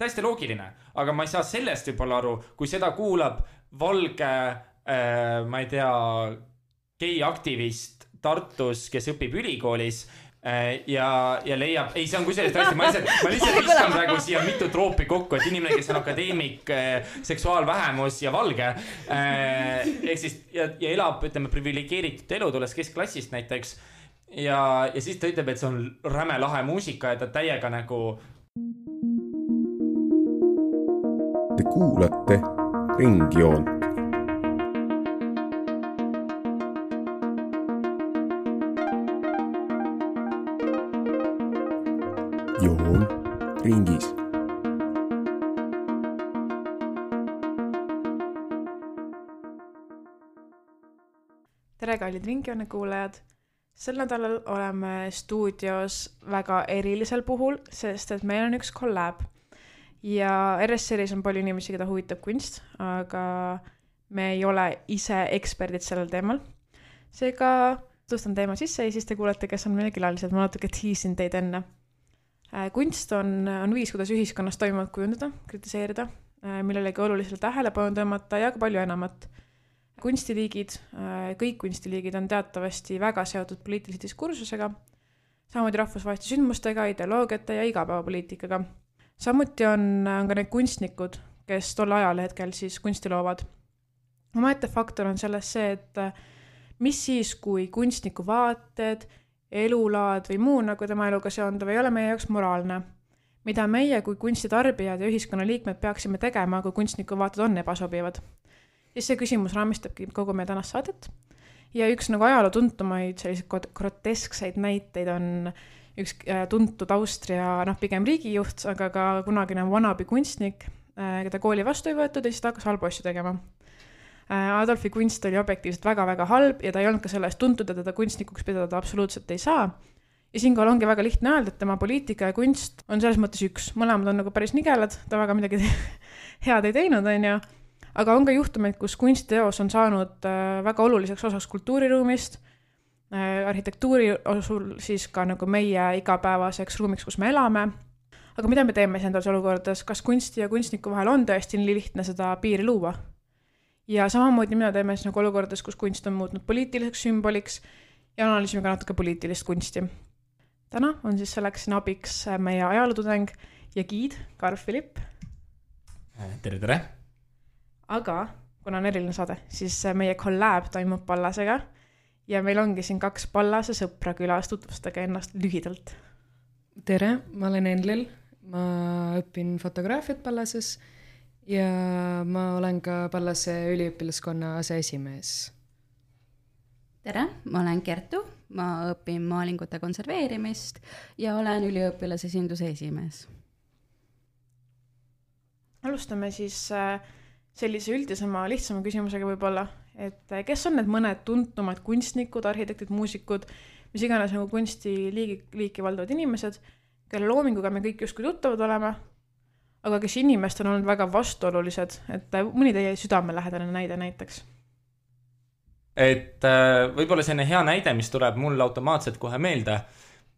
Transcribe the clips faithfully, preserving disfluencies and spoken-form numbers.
täiesti loogiline, aga ma ei saa sellest võib-olla aru, kui seda kuulab valge, äh, ma ei tea, gei-aktivist Tartus, kes õpib ülikoolis äh, ja, ja leiab, ei, see on kusjuures tõesti, ma lihtsalt, ma lihtsalt viskan praegu siia mitu troopi kokku, et inimene, kes on akadeemik, äh, seksuaalvähemus ja valge äh, ehk siis ja, ja elab, ütleme, privilegeeritud elu, tulles keskklassist näiteks ja, ja siis ta ütleb, et see on räme lahe muusika ja ta täiega nagu Te kuulate Ringjoont. Joon ringis. Tere, kallid Ringjoone kuulajad! Sel nädalal oleme stuudios väga erilisel puhul, sest et meil on üks collab. Ja R S R-is on palju inimesi, keda huvitab kunst, aga me ei ole ise eksperdid sellel teemal. Seega tutvustan teema sisse ja siis te kuulete, kes on meile külalised. Ma natuke tiisin teid enne. Kunst on, on viis, kuidas ühiskonnas toimuvat kujundada, kritiseerida, millelegi olulisele tähelepanu tõmmata ja ka palju enamat. Kunstiliigid, kõik kunstiliigid on teatavasti väga seotud poliitilise diskursusega, samuti rahvusvaheliste sündmustega, ideoloogiate ja igapäevapoliitikaga. Samuti on, on ka need kunstnikud, kes tol ajal hetkel siis kunsti loovad. Omaette faktor on selles see, et mis siis, kui kunstniku vaated, elulaad või muu nagu tema eluga seonduv ei ole meie jaoks moraalne. Mida meie kui kunstitarbijad ja ühiskonna liikmed peaksime tegema, kui kunstniku vaated on ebasobivad. Siis see küsimus raamistabki kogu meie tänast saadet. Ja üks nagu ajaloo tuntumaid selliseid groteskseid näiteid on üks tuntud Austria, noh pigem riigijuht, aga ka kunagine vanabi kunstnik, keda kooli vastu ei võetud ja siis ta hakkas halbu asju tegema. Adolfi kunst oli objektiivselt väga-väga halb ja ta ei olnud ka sellest tuntud, et teda kunstnikuks pidada absoluutselt ei saa. Ja siinkohal ongi väga lihtne öelda, et tema poliitika ja kunst on selles mõttes üks. Mõlemad on nagu päris nigelad, ta väga midagi head ei teinud, on ju. Aga on ka juhtumeid, kus kunstiteos on saanud väga oluliseks osaks kultuuriruumist, arhitektuuri osul siis ka nagu meie igapäevaseks ruumiks, kus me elame. Aga mida me teeme endas olukordades? Kas kunsti ja kunstniku vahel on tõesti nii lihtne seda piiri luua? Ja samamoodi mida teeme siis nagu olukordades, kus kunst on muutnud poliitiliseks sümboliks ja analüüsime ka natuke poliitilist kunsti. Täna on siis selleks abiks meie ajalootudeng ja giid, Karl Philipp. Tere, tere! Aga kuna on eriline saade, siis meie collab toimub Pallasega ja meil ongi siin kaks Pallase sõpra külas, tutvustage ennast lühidalt. Tere, ma olen Enlil, ma õpin fotograafiat Pallases ja ma olen ka Pallase üliõpilaskonna aseesimees. Tere, ma olen Kertu, ma õpin maalingute konserveerimist ja olen üliõpilasesinduse esimees. Alustame siis sellise üldisema, lihtsama küsimusega võib-olla, et kes on need mõned tuntumad kunstnikud, arhitektid, muusikud, mis iganes nagu kunsti liigi, liiki valdavad inimesed, kelle loominguga me kõik justkui tuttavad olema, aga kes inimesed on olnud väga vastuolulised, et mõni teie südamelähedane näide näiteks? Et võib-olla selline hea näide, mis tuleb mul automaatselt kohe meelde.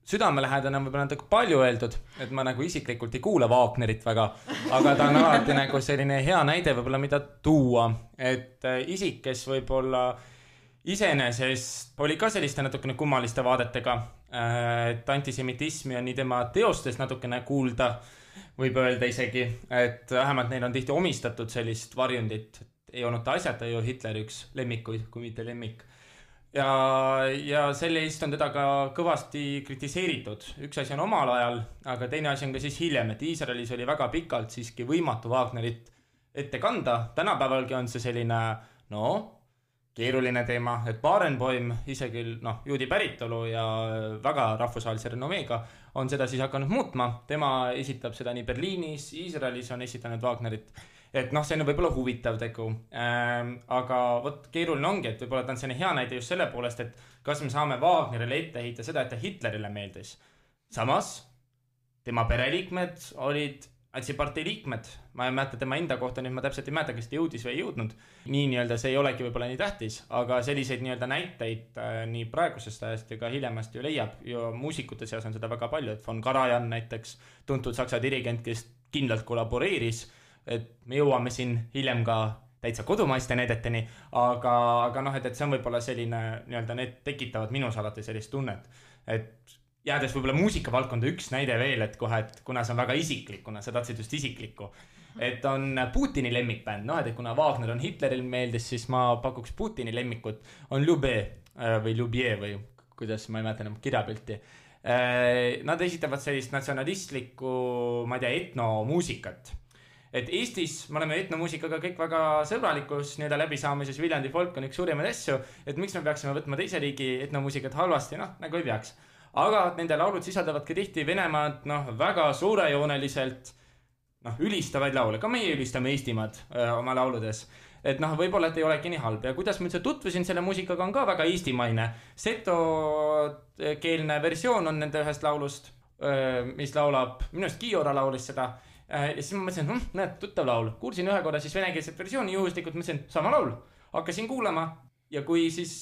Südamelähedane on võib-olla natuke palju öeldud, et ma nagu isiklikult ei kuule Wagnerit väga, aga ta on alati nagu selline hea näide võib-olla mida tuua, et isik, kes võib-olla iseenesest oli ka selliste natukene kummaliste vaadetega, et antisemitismi on nii tema teostes natukene kuulda, võib öelda isegi, et vähemalt neil on tihti omistatud sellist varjundit, ei olnud ta asjata ju Hitleri üks lemmikuid, kui mitte lemmik. Ja, ja selle eest on teda ka kõvasti kritiseeritud. Üks asi on omal ajal, aga teine asi on ka siis hiljem, et Iisraelis oli väga pikalt siiski võimatu Wagnerit ette kanda. Tänapäevalgi on see selline, no, keeruline teema, et Barenboim, isegi no, juudi päritolu ja väga rahvusvahelise renomeega on seda siis hakanud muutma. Tema esitab seda nii Berliinis, Iisraelis on esitanud Wagnerit. Et noh, see on võib-olla huvitav tegu, ähm, aga võt, keeruline ongi, et võib-olla ta on selline hea näide just selle poolest, et kas me saame Wagnerile ette heita seda, et ta Hitlerile meeldis. Samas, tema pereliikmed olid antsipartei liikmed. Ma ei mäleta tema enda kohta, nüüd ma täpselt ei mäleta, kes ta jõudis või ei jõudnud. Nii nii-öelda see ei olegi võib-olla nii tähtis, aga selliseid nii-öelda näiteid äh, nii praegusest ajast ja ka hiljemast ju leiab. Ja muusikute seas on seda väga palju, et von Karajan näiteks, tuntud saksa dirigent, kes kindlalt kollaboreeris, et me jõuame siin hiljem ka täitsa kodumaiste näideteni, aga, aga noh, et, et see on võib-olla selline, nii-öelda need tekitavad minus alati sellist tunnet, et jäädes võib-olla muusikavaldkonda üks näide veel, et kohe, et kuna see on väga isiklik, kuna sa tahtsid just isiklikku, et on Putini lemmikbänd, noh, et kuna Wagner on Hitleril meeldis, siis ma pakuks Putini lemmikut, on Ljubé või Ljubje või kuidas ma ei mäleta enam kirjapilti. Nad esitavad sellist natsionalistlikku, ma ei tea, etnomuusikat. Et Eestis me oleme etnomuusikaga kõik väga sõbralikus nii-öelda läbisaamises, Viljandi folk on üks suurimaid asju, et miks me peaksime võtma teise riigi etnomuusikat halvasti, noh, nagu ei peaks. Aga nende laulud sisaldavad ka tihti Venemaad, noh, väga suurejooneliselt, noh, ülistavaid laule, ka meie ülistame Eestimaad öö, oma lauludes. Et noh, võib-olla et ei olegi nii halb ja kuidas ma üldse tutvusin selle muusikaga on ka väga eestimaine. Setokeelne versioon on nende ühest laulust, mis laulab, minust Kiiora laulis seda ja siis ma mõtlesin, hm, näed, tuttav laul. Kuulsin ühe korra siis venekeelset versiooni juhuslikult, mõtlesin, sama laul. Hakkasin kuulama ja kui siis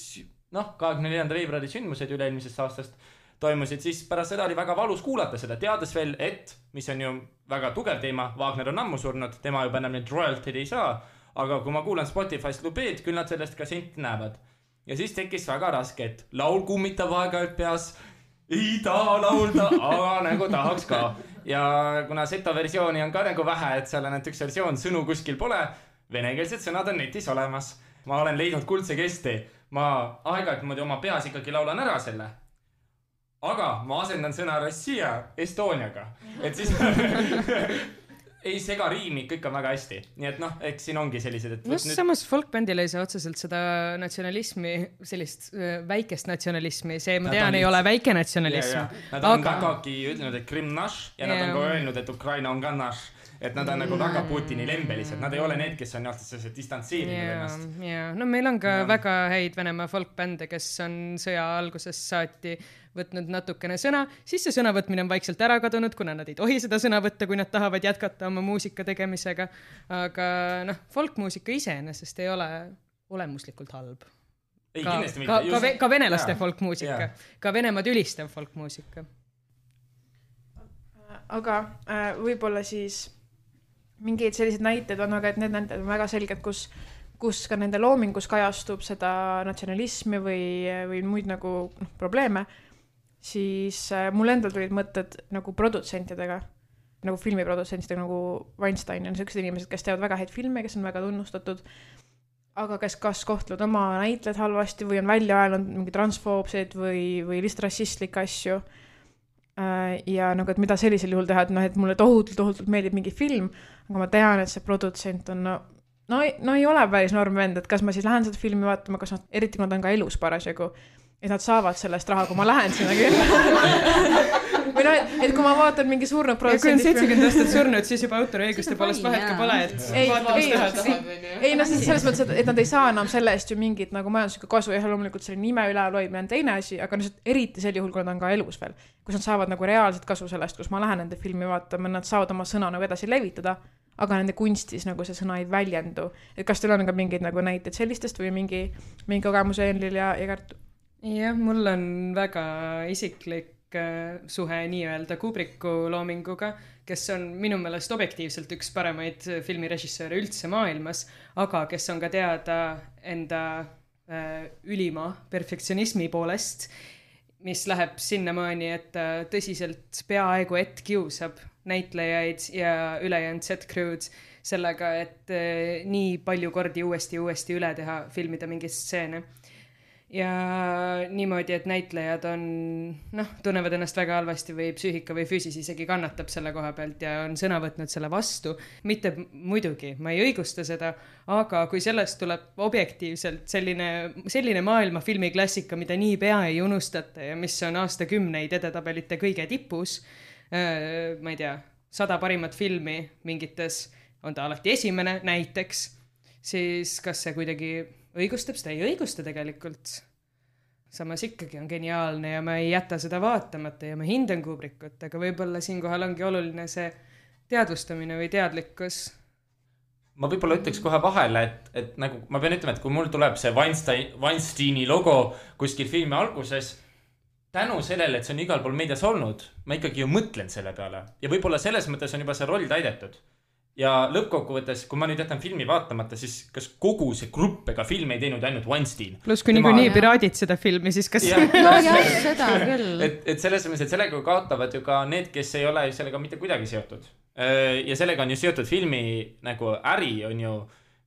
noh, kahekümne neljanda veebruari sündmused üle-eelmisest aastast toimusid, siis pärast seda oli väga valus kuulata seda, teades veel, et mis on ju väga tugev teema, Wagner on ammu surnud, tema juba enam neid royalty'd ei saa. Aga kui ma kuulan Spotify's Lubeed, küll nad sellest ka senti näevad. Ja siis tekkis väga raske, et laul kummitab aega peas, ei taha laulda, aga nagu tahaks ka. Ja kuna seto versiooni on ka nagu vähe, et seal on et üks versioon, sõnu kuskil pole, venekeelsed sõnad on netis olemas. Ma olen leidnud kuldse kesti. Ma aeg-aeg muidu oma peas ikkagi laulan ära selle. Aga ma asendan sõna Rossija Estoniaga. Et siis... ei sega riimi, kõik on väga hästi. Nii et noh, eks siin ongi sellised, et... No nüüd... samas folkbändil ei saa otseselt seda natsionalismi, sellist väikest natsionalismi, see ma tean, ei ole väike natsionalism. Ja, ja. Nad on aga... vägagi ütlenud, et Krim naš ja, ja nad on ka öelnud, et Ukraina on ka naš. Et nad on mm. nagu väga Putini lembelised. Nad ei ole need, kes on jah distantseerinud yeah, ennast. Yeah. No meil on ka ja. väga häid Venemaa folkbände, kes on sõja algusest saati võtnud natukene sõna, siis see sõnavõtmine on vaikselt ära kadunud, kuna nad ei tohi seda sõna võtta, kui nad tahavad jätkata oma muusika tegemisega. Aga noh, folkmuusika iseenesest ei ole olemuslikult halb. Ei, ka, kindlasti ka, mitte. Ka, ka venelaste yeah. folkmuusika, yeah. ka Venemaad ülistav folkmuusika. Aga äh, võib-olla siis mingeid sellised näited on, aga et need näited on väga selged, kus, kus ka nende loomingus kajastub seda natsionalismi või, või muid nagu noh, probleeme, siis äh, mul endal tulid mõtted nagu produtsentidega, nagu filmiprodutsentidega, nagu Weinstein on sellised inimesed, kes teevad väga häid filme, kes on väga tunnustatud, aga kes kas kohtlevad oma näitled halvasti või on välja öelnud mingi transfoobseid või, või lihtsalt rassistlikke asju. Ja nagu, et mida sellisel juhul teha, et, no, et mulle tohutult, tohutult meeldib mingi film, aga ma tean, et see produtsent on, no, no, no ei ole päris norm vend, et kas ma siis lähen seda filmi vaatama, kas nad, eriti kui nad on ka elus parasjagu, et nad saavad sellest raha, kui ma lähen sinna küll. Või no, et, et kui ma vaatan mingi surnud produtsent... Ja kui on seitsekümmend aastat surnud, siis juba autoriõiguste poolest vahet ka pole, et ei, ei, ei, ei, no selles mõttes, et nad ei saa enam selle eest ju mingit nagu majanduslikku kasu ja loomulikult selle nime üleloimine on teine asi, aga no, eriti sel juhul, kui nad on ka elus veel, kus nad saavad nagu reaalselt kasu sellest, kus ma lähen nende filmi vaatama, nad saavad oma sõna nagu edasi levitada, aga nende kunstis nagu see sõna ei väljendu. Et kas teil on ka mingeid nagu näiteid sellistest või mingi, mingi kogemuse Enlil ja, ja Kertu? Jah, mul on väga isiklik suhe nii-öelda Kubricku loominguga, kes on minu meelest objektiivselt üks paremaid filmirežissööre üldse maailmas, aga kes on ka teada enda äh, ülima perfektsionismi poolest, mis läheb sinnamaani, et äh, tõsiselt peaaegu et kiusab näitlejaid ja ülejäänud set-crew'd sellega, et äh, nii palju kordi uuesti uuesti üle teha, filmida mingi stseene. Ja niimoodi, et näitlejad on, noh, tunnevad ennast väga halvasti või psüühika või füüsis isegi kannatab selle koha pealt ja on sõna võtnud selle vastu. Mitte muidugi, ma ei õigusta seda, aga kui sellest tuleb objektiivselt selline, selline maailma filmiklassika, mida nii pea ei unustate ja mis on aastakümneid edetabelite kõige tipus, äh, ma ei tea, sada parimat filmi mingites, on ta alati esimene näiteks, siis kas see kuidagi õigustab, seda ei õigusta tegelikult. Samas ikkagi on geniaalne ja ma ei jäta seda vaatamata ja ma hindan Kubrickut, aga võib-olla siinkohal ongi oluline see teadvustamine või teadlikkus. Ma võib-olla ütleks kohe vahele, et, et nagu ma pean ütlema, et kui mul tuleb see Weinstein, Weinsteini logo kuskil filmi alguses, tänu sellele, et see on igal pool meedias olnud, ma ikkagi ju mõtlen selle peale ja võib-olla selles mõttes on juba see roll täidetud. Ja lõppkokkuvõttes, kui ma nüüd jätan filmi vaatamata, siis kas kogu see grupp ega film ei teinud ainult Weinstein. Plus kui Tema... nii piraadid seda filmi, siis kas... Ja, no jah, seda küll. Et, et selles mõttes, et sellega kaotavad ju ka need, kes ei ole sellega mitte kuidagi seotud. Ja sellega on ju seotud filmi nagu äri on ju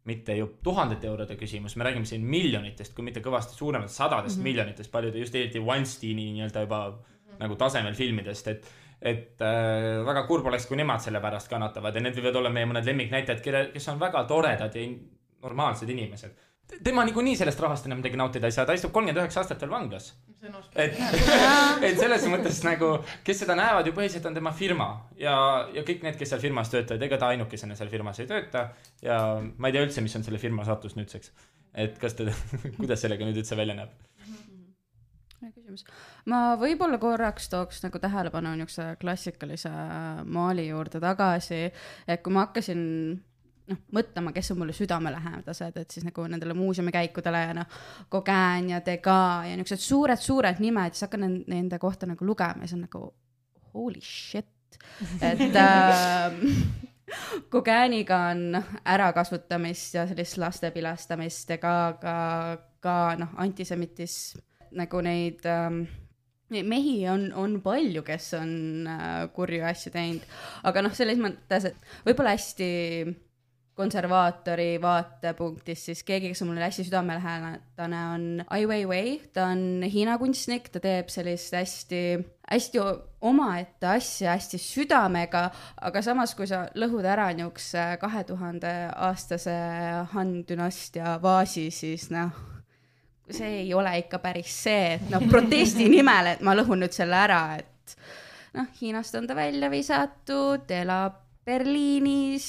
mitte ju tuhandete eurode küsimus. Me räägime siin miljonitest, kui mitte kõvasti suuremad sadadest mm-hmm. miljonitest, paljude just eriti Weinsteini nii-öelda juba mm-hmm. nagu tasemel filmidest, et et äh, väga kurb oleks, kui nemad selle pärast kannatavad ja need võivad olla meie mõned lemmiknäitajad, kes on väga toredad ja normaalsed inimesed. Tema niikuinii sellest rahast enam midagi nautida ei saa, ta istub kolmkümmend üheksa aastat veel vanglas. Et, et selles mõttes nagu, kes seda näevad ju põhiliselt on tema firma ja, ja kõik need, kes seal firmas töötavad, ega ta ainukesena seal firmas ei tööta ja ma ei tea üldse, mis on selle firma saatus nüüdseks. Et kas ta, kuidas sellega nüüd üldse välja näeb? Küsimus. Ma võib-olla korraks tooks nagu tähelepanu niisuguse klassikalise maali juurde tagasi, et kui ma hakkasin noh, mõtlema, kes on mulle südamelähedased, et siis nagu nendele muuseumi-käikudele ja noh, Gauguin ja Degas ja niisugused suured-suured nimed, siis hakkan nende kohta nagu lugema ja see on nagu holy shit, et äh, Gauguiniga on ärakasutamist ja sellist laste pilastamist ja ka, ka, ka noh, antisemitism nagu neid ähm, mehi on, on palju, kes on äh, kurju asju teinud, aga noh, selles mõttes, et võib-olla hästi konservaatori vaatepunktist, siis keegi, kes on mulle hästi südamelähedane, on Ai Weiwei, ta on Hiina kunstnik, ta teeb sellist hästi, hästi omaette asja, hästi südamega, aga samas, kui sa lõhud ära niukse kahe tuhande aastase Han dünastia vaasi, siis noh, see ei ole ikka päris see, et noh, protesti nimel, et ma lõhun nüüd selle ära, et noh, Hiinast on ta välja visatud, elab Berliinis,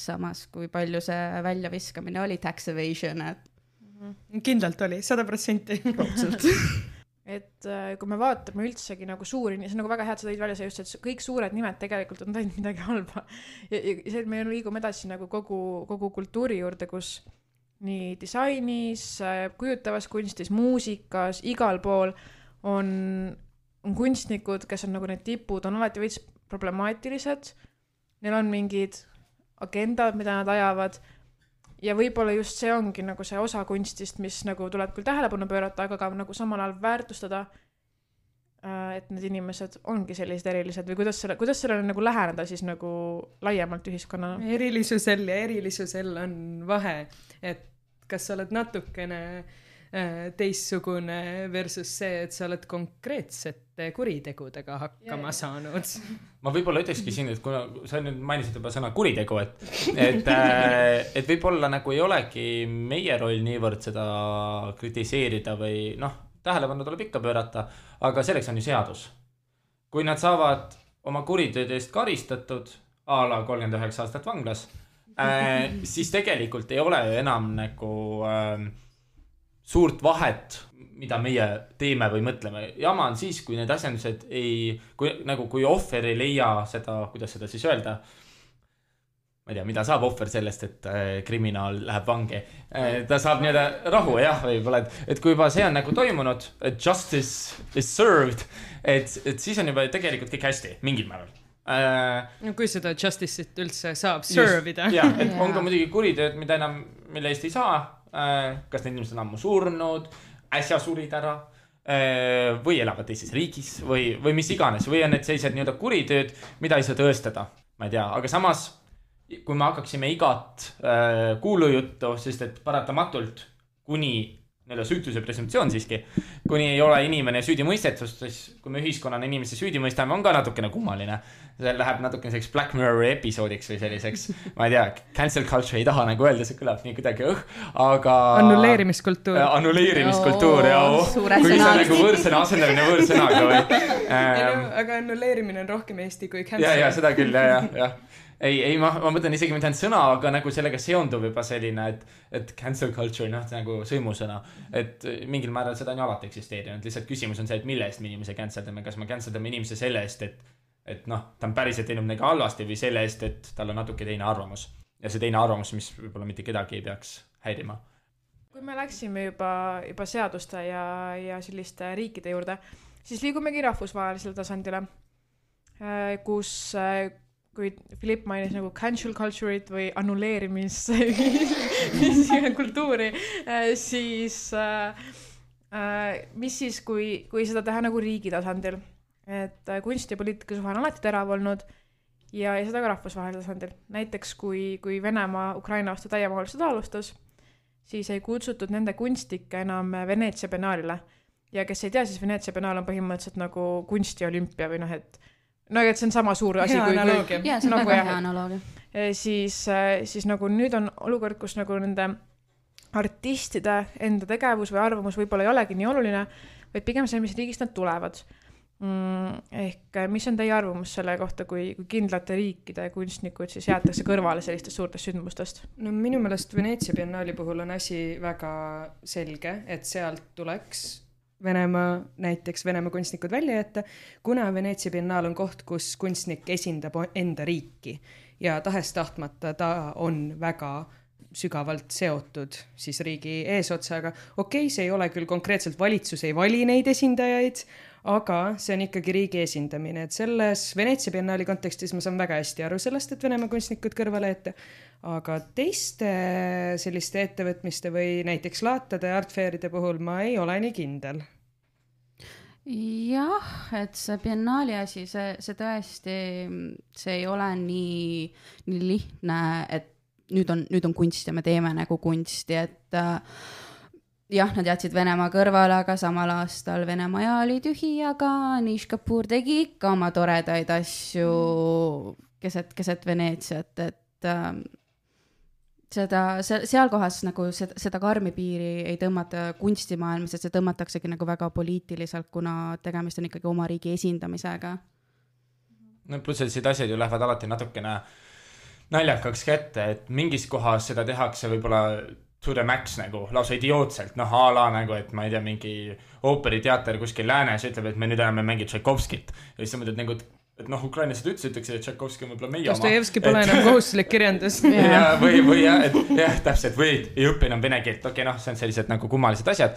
samas kui palju see välja viskamine oli tax evasion, et kindlalt oli, sada protsenti. Et kui me vaatame üldsegi nagu suuri, see on nagu väga head, sa tõid välja see just, et kõik suured nimed tegelikult on teinud midagi halba. Ja, ja see, et me liigume edasi nagu kogu, kogu kultuuri juurde, kus nii disainis, kujutavas kunstis, muusikas, igal pool on, on kunstnikud, kes on nagu need tipud, on alati veits problemaatilised. Neil on mingid agendad, mida nad ajavad ja võib-olla just see ongi nagu see osa kunstist, mis nagu tuleb küll tähelepanu pöörata, aga ka nagu samal ajal väärtustada, et need inimesed ongi sellised erilised või kuidas, selle, kuidas sellele nagu läheneda siis nagu laiemalt ühiskonnana? Erilisusel ja erilisusel on vahe, et kas sa oled natukene teissugune versus see, et sa oled konkreetsete kuritegudega hakkama yeah. saanud. Ma võib-olla ütlekski siin, et kuna sa nüüd mainisid juba sõna kuritegu, et, et, et võib-olla nagu ei olegi meie roll niivõrd seda kritiseerida või noh, tähelepanu tuleb ikka pöörata, aga selleks on ju seadus. Kui nad saavad oma kuritööd eest karistatud, a la kolmkümmend üheksa aastat vanglas, äh, siis tegelikult ei ole ju enam nagu äh, suurt vahet, mida meie teeme või mõtleme. Jama on siis, kui need asjandused ei, kui, nagu kui ohver ei leia seda, kuidas seda siis öelda, ma ei tea, mida saab ohver sellest, et äh, kriminaal läheb vangi. Äh, ta saab nii-öelda rahu, jah, võib-olla, et, et kui juba see on nagu toimunud, et justice is served, et, et siis on juba tegelikult kõik hästi, mingil määral. Äh, no kui seda justice'it üldse saab servida. Jah, et on ka muidugi kuritööd, mida enam, mille eest ei saa, äh, kas need inimesed on ammu surnud, äsja surid ära, äh, või elavad teises riigis, või, või mis iganes, või on need sellised nii-öelda kuritööd, mida ei saa tõestada, ma ei tea, aga samas kui me hakkaksime igat äh, kuulujuttu, sest et paratamatult kuni nii-öelda süütuse presumptsioon siiski, kuni ei ole inimene süüdi mõistetust, siis kui me ühiskonnana inimese süüdi mõistame, on ka natukene kummaline. See läheb natukene selliseks Black Mirror episoodiks või selliseks, ma ei tea, cancel culture ei taha nagu öelda, see kõlab nii kuidagi õh, aga... Annuleerimiskultuur. Äh, annuleerimiskultuur, jah. Kui see on nagu võõrsõna asendamine võõrsõnaga või... Ähm, aga annuleerimine on rohkem eesti kui cancel. Ja, ja, seda küll, ja, ja, ja. Ei, ei ma, ma mõtlen isegi mitte ainult sõna, aga nagu sellega seondub juba selline, et, et cancel culture, noh, nagu sõimusõna, et mingil määral seda on ju alati eksisteerinud. Lihtsalt küsimus on see, et mille eest me inimese canceldame, kas me canceldame inimese selle eest, et, et noh, ta on päriselt teinud midagi halvasti või selle eest, et tal on natuke teine arvamus. Ja see teine arvamus, mis võib-olla mitte kedagi ei peaks häirima. Kui me läksime juba, juba seaduste ja, ja selliste riikide juurde, siis liigumegi rahvusvahelisele tasandile, kus kui Philipp mainis nagu cancel culture'it või annuleerimis kultuuri, siis mis siis, kui, kui seda teha nagu riigi tasandil, et kunst ja poliitika suhe on alati terav olnud ja, ja seda ka rahvusvahelisel tasandil. Näiteks kui, kui Venemaa Ukraina vastu täiemahuliselt alustas, siis ei kutsutud nende kunstikke enam Veneetsia biennaalile. Ja kes ei tea, siis Veneetsia biennaal on põhimõtteliselt nagu kunstiolümpia või noh, et no et see on sama suur asi. Hea kui, analoogia. Jaa, see on nagu, väga hea analoogia. Siis, siis nagu nüüd on olukord, kus nagu nende artistide enda tegevus või arvamus võib-olla ei olegi nii oluline, vaid pigem see, mis riigist nad tulevad. Mm, ehk mis on teie arvamus selle kohta, kui, kui kindlate riikide kunstnikud siis jäetakse kõrvale sellistest suurtest sündmustest? No minu meelest Veneetsia biennaali puhul on asi väga selge, et sealt tuleks Venemaa, näiteks Venemaa kunstnikud välja jätta, kuna Veneetsia biennaal on koht, kus kunstnik esindab enda riiki ja tahes tahtmata ta on väga sügavalt seotud siis riigi eesotsaga. Okei, see ei ole küll konkreetselt valitsus, ei vali neid esindajaid, aga see on ikkagi riigi esindamine, et selles Veneetsia biennaali kontekstis ma saan väga hästi aru sellest, et Venemaa kunstnikud kõrvale ette, aga teiste selliste ettevõtmiste või näiteks laatade ja artfairide puhul ma ei ole nii kindel. Jah, et see biennaali asi, see, see tõesti, see ei ole nii, nii lihtne, et nüüd on, nüüd on kunst ja me teeme nagu kunsti, et äh, jah, nad jätsid Venemaa kõrvale, aga samal aastal Venemaa ja oli tühi, aga Nish Kapoor tegi ikka oma toredaid asju keset, keset Veneetsiat, et äh, seda, seal kohas nagu seda, seda karmi piiri ei tõmmata kunstimaailmas, et see tõmmataksegi nagu väga poliitiliselt, kuna tegemist on ikkagi oma riigi esindamisega. No pluss, et siit asjad ju lähevad alati natukene naljakaks kätte, et mingis kohas seda tehakse võib-olla to the max nagu, lausa idiootselt, noh ala nagu, et ma ei tea, mingi ooperiteater kuskil läänes ütleb, et me nüüd enam mängid Tšaikovskit ja siis sa mõtled nagu, et noh, Ukrainas seda üldse ütleks, et Tšaikovski on võib-olla meie oma. Dostojevski pole enam kohustuslik kirjandus. ja, või, või jah, et jah, täpselt, või ei õpi enam vene keelt, okei, noh, see on sellised nagu kummalised asjad.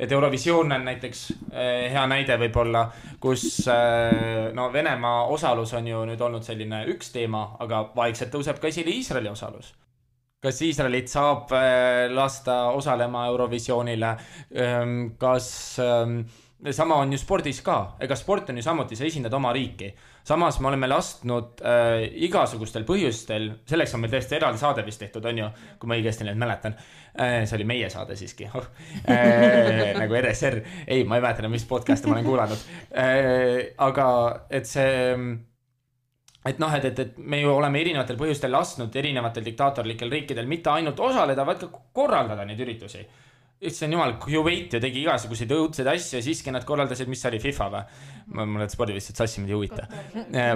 Et Eurovisioon on näiteks eh, hea näide võib-olla, kus eh, no, Venemaa osalus on ju nüüd olnud selline üks teema, aga vaikselt tõuseb ka esile Iisraeli osalus. Kas Iisraelit saab eh, lasta osalema Eurovisioonile? Eh, kas eh, sama on ju spordis ka, ega sport on ju samuti, sa esindad oma riiki. Samas me oleme lastnud äh, igasugustel põhjustel, selleks on meil tõesti eraldi saade vist tehtud, on ju, kui ma õigesti neid mäletan. Äh, see oli meie saade siiski, oh. äh, nagu R S R. Ei, ma ei mäleta, mis podcasti ma olen kuulanud. Äh, aga et see, et noh, et, et, et me ju oleme erinevatel põhjustel lastnud erinevatel diktaatorlikel riikidel mitte ainult osaleda, vaid ka korraldada neid üritusi. Issand jumal, Kuwait ju tegi igasuguseid õudseid asju ja siiski nad korraldasid, mis oli FIFA või? Ma mulle spordivistid sassimid ei huvita.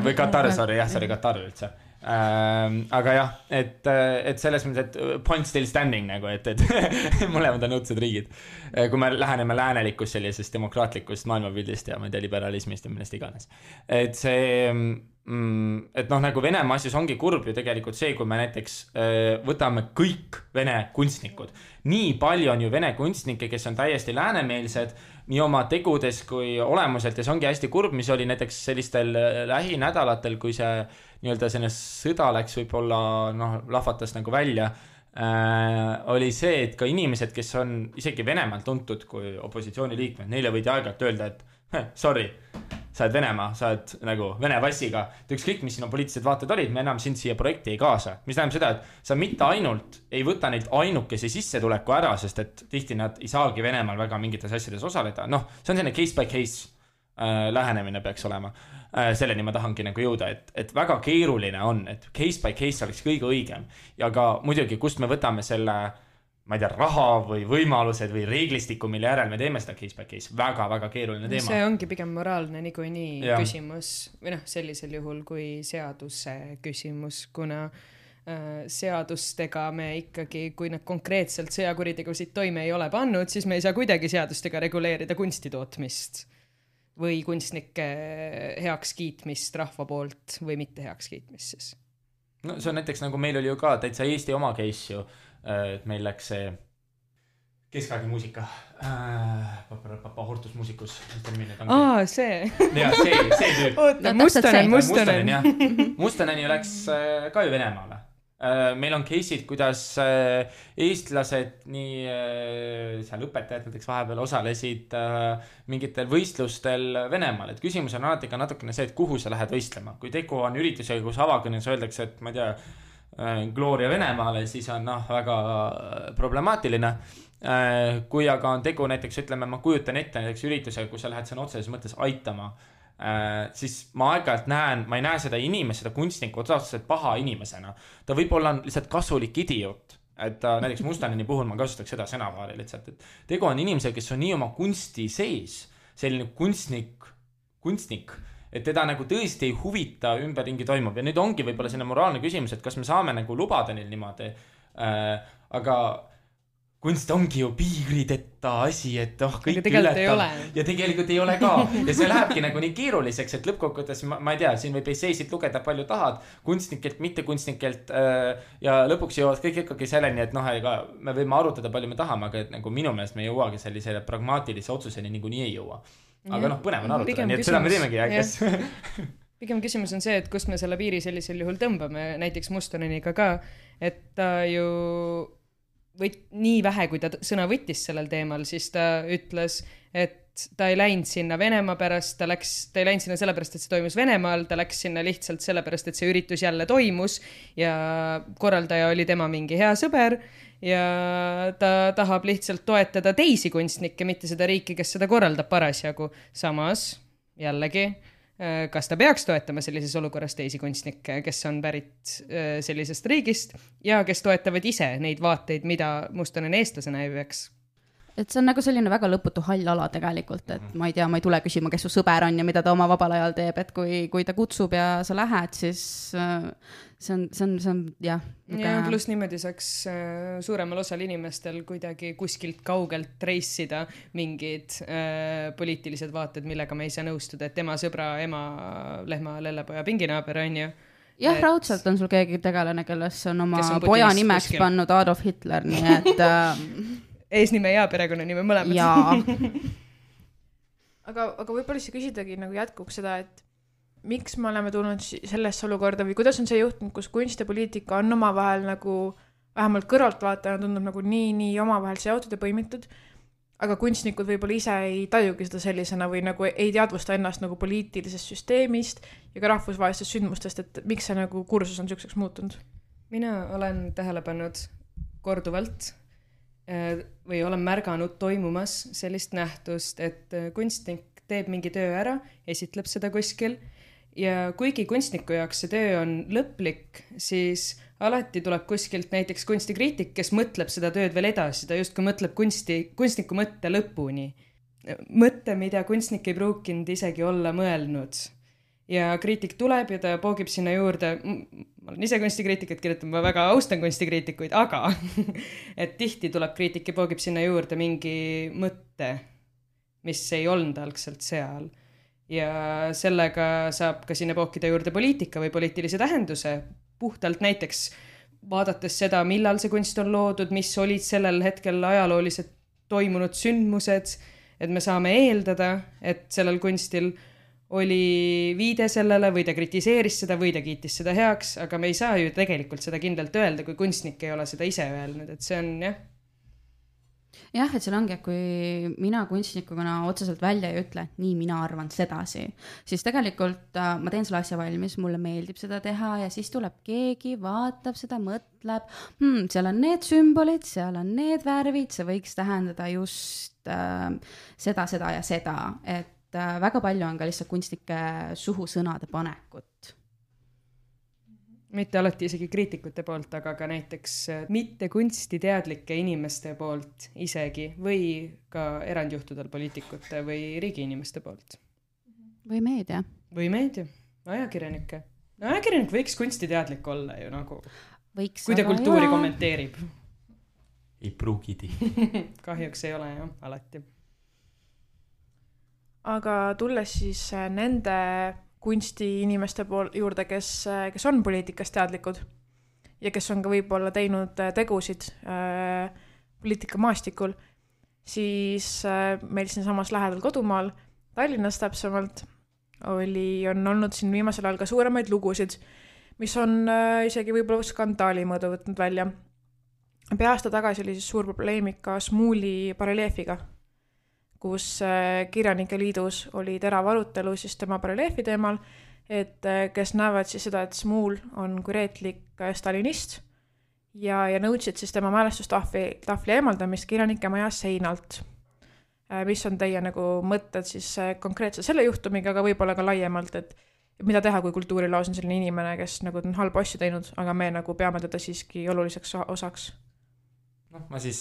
Või Katar, sorry, jah, see oli Katar üldse. Äh, aga jah, et, et selles mõttes, et point still standing nagu, et, et mõlemad on õudsed riigid. Kui me läheneme läänelikust sellisest demokraatlikust maailmapildist ja ma ei tea, liberalismist ja millest iganes. Et see... et noh, nagu Venemaa asjus ongi kurb ju tegelikult see, kui me näiteks võtame kõik vene kunstnikud. Nii palju on ju vene kunstnikke, kes on täiesti läänemeelsed nii oma tegudes kui olemuselt ja see ongi hästi kurb, mis oli näiteks sellistel lähinädalatel, kui see nii-öelda selline sõda läks võib-olla noh, lahvatas nagu välja, äh, oli see, et ka inimesed, kes on isegi Venemaalt tuntud kui opositsiooniliikmed, neile võidi aeg-ajalt öelda, et heh, sorry, sa oled Venemaa, sa oled nagu Vene passiga, et ükskõik, mis sinu poliitilised vaated olid, me enam sind siia projekti ei kaasa. Mis tähendab seda, et sa mitte ainult ei võta neilt ainukese sissetuleku ära, sest et tihti nad ei saagi Venemaal väga mingites asjades osaleda. Noh, see on selline case by case äh, lähenemine peaks olema. Äh, selleni ma tahangi nagu jõuda, et, et väga keeruline on, et case by case oleks kõige õigem. Ja ka muidugi, kust me võtame selle ma ei tea, raha või võimalused või reeglistiku, mille järel me teeme seda case by case. Väga, väga keeruline teema. See ongi pigem moraalne niikuinii nii küsimus, või noh, sellisel juhul kui seaduse küsimus, kuna äh, seadustega me ikkagi, kui nad konkreetselt sõjakuritegusid toime ei ole pannud, siis me ei saa kuidagi seadustega reguleerida kunstitootmist või kunstnike heaks kiitmist rahva poolt või mitte heaks kiitmist siis. No see on näiteks nagu meil oli ju ka täitsa Eesti oma case ju, et meil läks see keskaegi muusika äh,. Papa, papa hortusmuusikus. Aa, see. Ja, see, see tüüp. Oota, Mustonen, Mustonen. Mustoneni läks äh, ka ju Venemaale. Meil on case'id, kuidas eestlased, nii seal õpetajad näiteks vahepeal osalesid mingitel võistlustel Venemaal. Et küsimus on alati ka natukene see, et kuhu sa lähed võistlema. Kui tegu on üritusega, kus avakõnes öeldakse, et ma ei tea, Gloria Venemaale, siis on noh, väga problemaatiline. Kui aga on tegu näiteks, ütleme, ma kujutan ette näiteks üritusega, kus sa lähed sõna otseses mõttes aitama, Äh, siis ma aeg-ajalt näen, ma ei näe seda inimest, seda kunstnikku otseselt paha inimesena. Ta võib olla lihtsalt kasulik idioot, et ta, näiteks Mustoneni puhul ma kasutaks seda sõnavaari lihtsalt, et tegu on inimesel, kes on nii oma kunsti sees, selline kunstnik, kunstnik, et teda nagu tõesti ei huvita ümberringi toimub. Ja nüüd ongi võib-olla selline moraalne küsimus, et kas me saame nagu lubada neil niimoodi, äh, aga kunst ongi ju piirideta asi, et oh, kõik ületab. Ja tegelikult ei ole ka. Ja see lähebki nagu nii keeruliseks, et lõppkokkuvõttes, ma, ma ei tea, siin võib esseisid lugeda palju tahad, kunstnikelt, mitte kunstnikelt äh, ja lõpuks jõuavad kõik ikkagi selleni, et noh, ega me võime arutada palju me tahame, aga et nagu minu meelest me jõuagi sellisele pragmaatilise otsuseni nagu nii ei jõua. Aga ja, noh, põnev on arutada, nii et seda me teemegi, kes... Pigem küsimus on see, et kust me selle piiri sellisel juhul tõmbame, näiteks Mustoneniga ka, et ta ju võt, nii vähe, kui ta sõna võttis sellel teemal, siis ta ütles, et ta ei läinud sinna Venemaa pärast, ta, läks, ta ei läinud sinna sellepärast, et see toimus Venemaal, ta läks sinna lihtsalt sellepärast, et see üritus jälle toimus ja korraldaja oli tema mingi hea sõber ja ta tahab lihtsalt toetada teisi kunstnikke, mitte seda riiki, kes seda korraldab parasjagu. Samas, jällegi, kas ta peaks toetama sellises olukorras teisi kunstnikke, kes on pärit sellisest riigist ja kes toetavad ise neid vaateid, mida Mustonen eestlasena ei peaks. Et see on nagu selline väga lõputu hall ala tegelikult, et ma ei tea, ma ei tule küsima, kes su sõber on ja mida ta oma vabal ajal teeb, et kui, kui ta kutsub ja sa lähed, siis see on, see on, see on jah. Ja pluss niimoodi saaks suuremal osal inimestel kuidagi kuskilt kaugelt reissida mingid äh, poliitilised vaated, millega me ei saa nõustuda, et tema sõbra, ema, lehma, lellepoja, pinginaaber on ju. Jah, et... raudselt on sul keegi tegelane, kes on oma kes on poja nimeks kuskil pannud Adolf Hitler, nii et... Äh... eesnime ja perekonnanime mõlemad. Jaa. aga, aga võib-olla siis küsidagi nagu jätkuks seda, et miks me oleme tulnud sellesse olukorda või kuidas on see juhtunud, kus kunst ja poliitika on omavahel nagu vähemalt kõrvaltvaatajana tundub nagu nii, nii omavahel seotud ja põimitud, aga kunstnikud võib-olla ise ei tajugi seda sellisena või nagu ei teadvusta ennast nagu poliitilisest süsteemist ja ka rahvusvahelistest sündmustest, et miks see nagu kursus on selliseks muutunud? Mina olen tähele pannud korduvalt või olen märganud toimumas sellist nähtust, et kunstnik teeb mingi töö ära, esitleb seda kuskil ja kuigi kunstniku jaoks see töö on lõplik, siis alati tuleb kuskilt näiteks kunstikriitik, kes mõtleb seda tööd veel edasi, ta justkui mõtleb kunsti, kunstniku mõtte lõpuni. Mõtte, mida kunstnik ei pruukinud isegi olla mõelnud. Ja kriitik tuleb ja ta poogib sinna juurde, ma olen ise kunstikriitikat kirjutan, ma väga austan kunstikriitikuid, aga et tihti tuleb kriitik ja poogib sinna juurde mingi mõtte, mis ei olnud algselt seal. Ja sellega saab ka sinna pookida juurde poliitika või poliitilise tähenduse, puhtalt näiteks vaadates seda, millal see kunst on loodud, mis olid sellel hetkel ajaloolised toimunud sündmused, et me saame eeldada, et sellel kunstil oli viide sellele või ta kritiseeris seda või ta kiitis seda heaks, aga me ei saa ju tegelikult seda kindlalt öelda, kui kunstnik ei ole seda ise öelnud, et see on jah. Jah, et seal ongi, et kui mina kunstnikuna otseselt välja ei ütle, nii mina arvan sedasi, siis tegelikult äh, ma teen selle asja valmis, mulle meeldib seda teha ja siis tuleb keegi, vaatab seda, mõtleb, hmm, seal on need sümbolid, seal on need värvid, see võiks tähendada just äh, seda, seda ja seda, et väga palju on ka lihtsalt kunstnike suhu sõnade panekut. Mitte alati isegi kriitikute poolt, aga ka näiteks mitte kunstiteadlike inimeste poolt isegi või ka erandjuhtudel poliitikute või riigi inimeste poolt. Või meedia. Või meedia, ajakirjanike. No, ajakirjanik võiks kunstiteadlik olla ju nagu, võiks, kui ta kultuuri ole. Kommenteerib. Ei pruugidi. Kahjuks ei ole jah, alati. Aga tulles siis nende kunstiinimeste pool juurde, kes, kes on poliitikast teadlikud ja kes on ka võib-olla teinud tegusid äh, poliitika maastikul, siis meil siin samas lähedal kodumaal, Tallinnas täpsemalt, oli, on olnud siin viimasel ajal ka suuremaid lugusid, mis on isegi võib-olla skandaali mõõdu võtnud välja. Pea aasta tagasi oli siis suur probleemika Smuuli bareljeefiga, kus Kirjanike Liidus oli terav arutelu siis tema bareljeefi teemal, et kes näevad siis seda, et Smuul on kureetlik stalinist ja, ja nõudsid siis tema mälestustahvli tahvli eemaldamist Kirjanike maja seinalt. Mis on teie nagu mõtted siis konkreetselt selle juhtumiga, aga võib-olla ka laiemalt, et mida teha, kui kultuuriloos on selline inimene, kes nagu on halba asju teinud, aga me nagu peame teda siiski oluliseks osaks? noh, ma siis,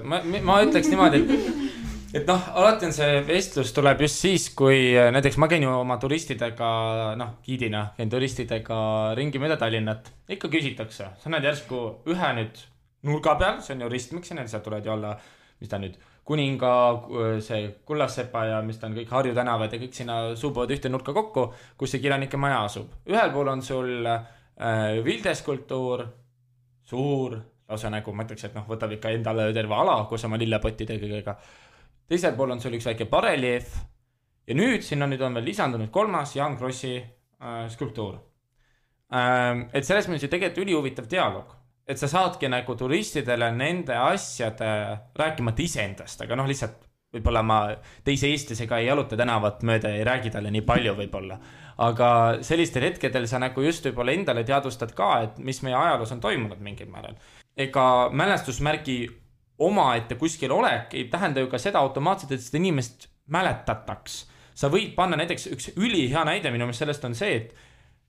ma, ma ütleks niimoodi, et et noh, alati on see vestlus tuleb just siis, kui näiteks ma käin ju oma turistidega, noh, giidina, käin turistidega ringi mööda Tallinnat. Ikka küsitakse, sa näed järsku ühe nüüd nurga peal, see on ju ristmiks, ja sealt tulevad ju alla, mis ta nüüd, Kuninga, see Kullassepa ja mis ta on kõik Harju tänavad ja kõik sinna suubuvad ühte nurka kokku, kus see Kirjanike maja asub. Ühel pool on sul äh, vildeskultuur, suur, lausa nagu ma ütleks, et noh, võtab ikka endale terve ala, kus oma lillepottidega kõigega. Teisel pool on sul üks väike bareljeef ja nüüd sinna nüüd on veel lisandunud kolmas Jaan Krossi äh, skulptuur. Ähm, et selles mõttes ju tegelikult ülihuvitav dialoog, et sa saadki nagu turistidele nende asjade rääkimata iseendast, aga noh, lihtsalt võib-olla ma teise eestlasega ei jaluta tänavat mööda ja ei räägi talle nii palju võib-olla, aga sellistel hetkedel sa nagu just võib-olla endale teadvustad ka, et mis meie ajaloos on toimunud mingil määral. Ega mälestusmärgi oma ette kuskil olek ei tähenda ju ka seda automaatselt, et seda inimest mäletataks. Sa võid panna näiteks üks ülihea näide minu meelest sellest on see, et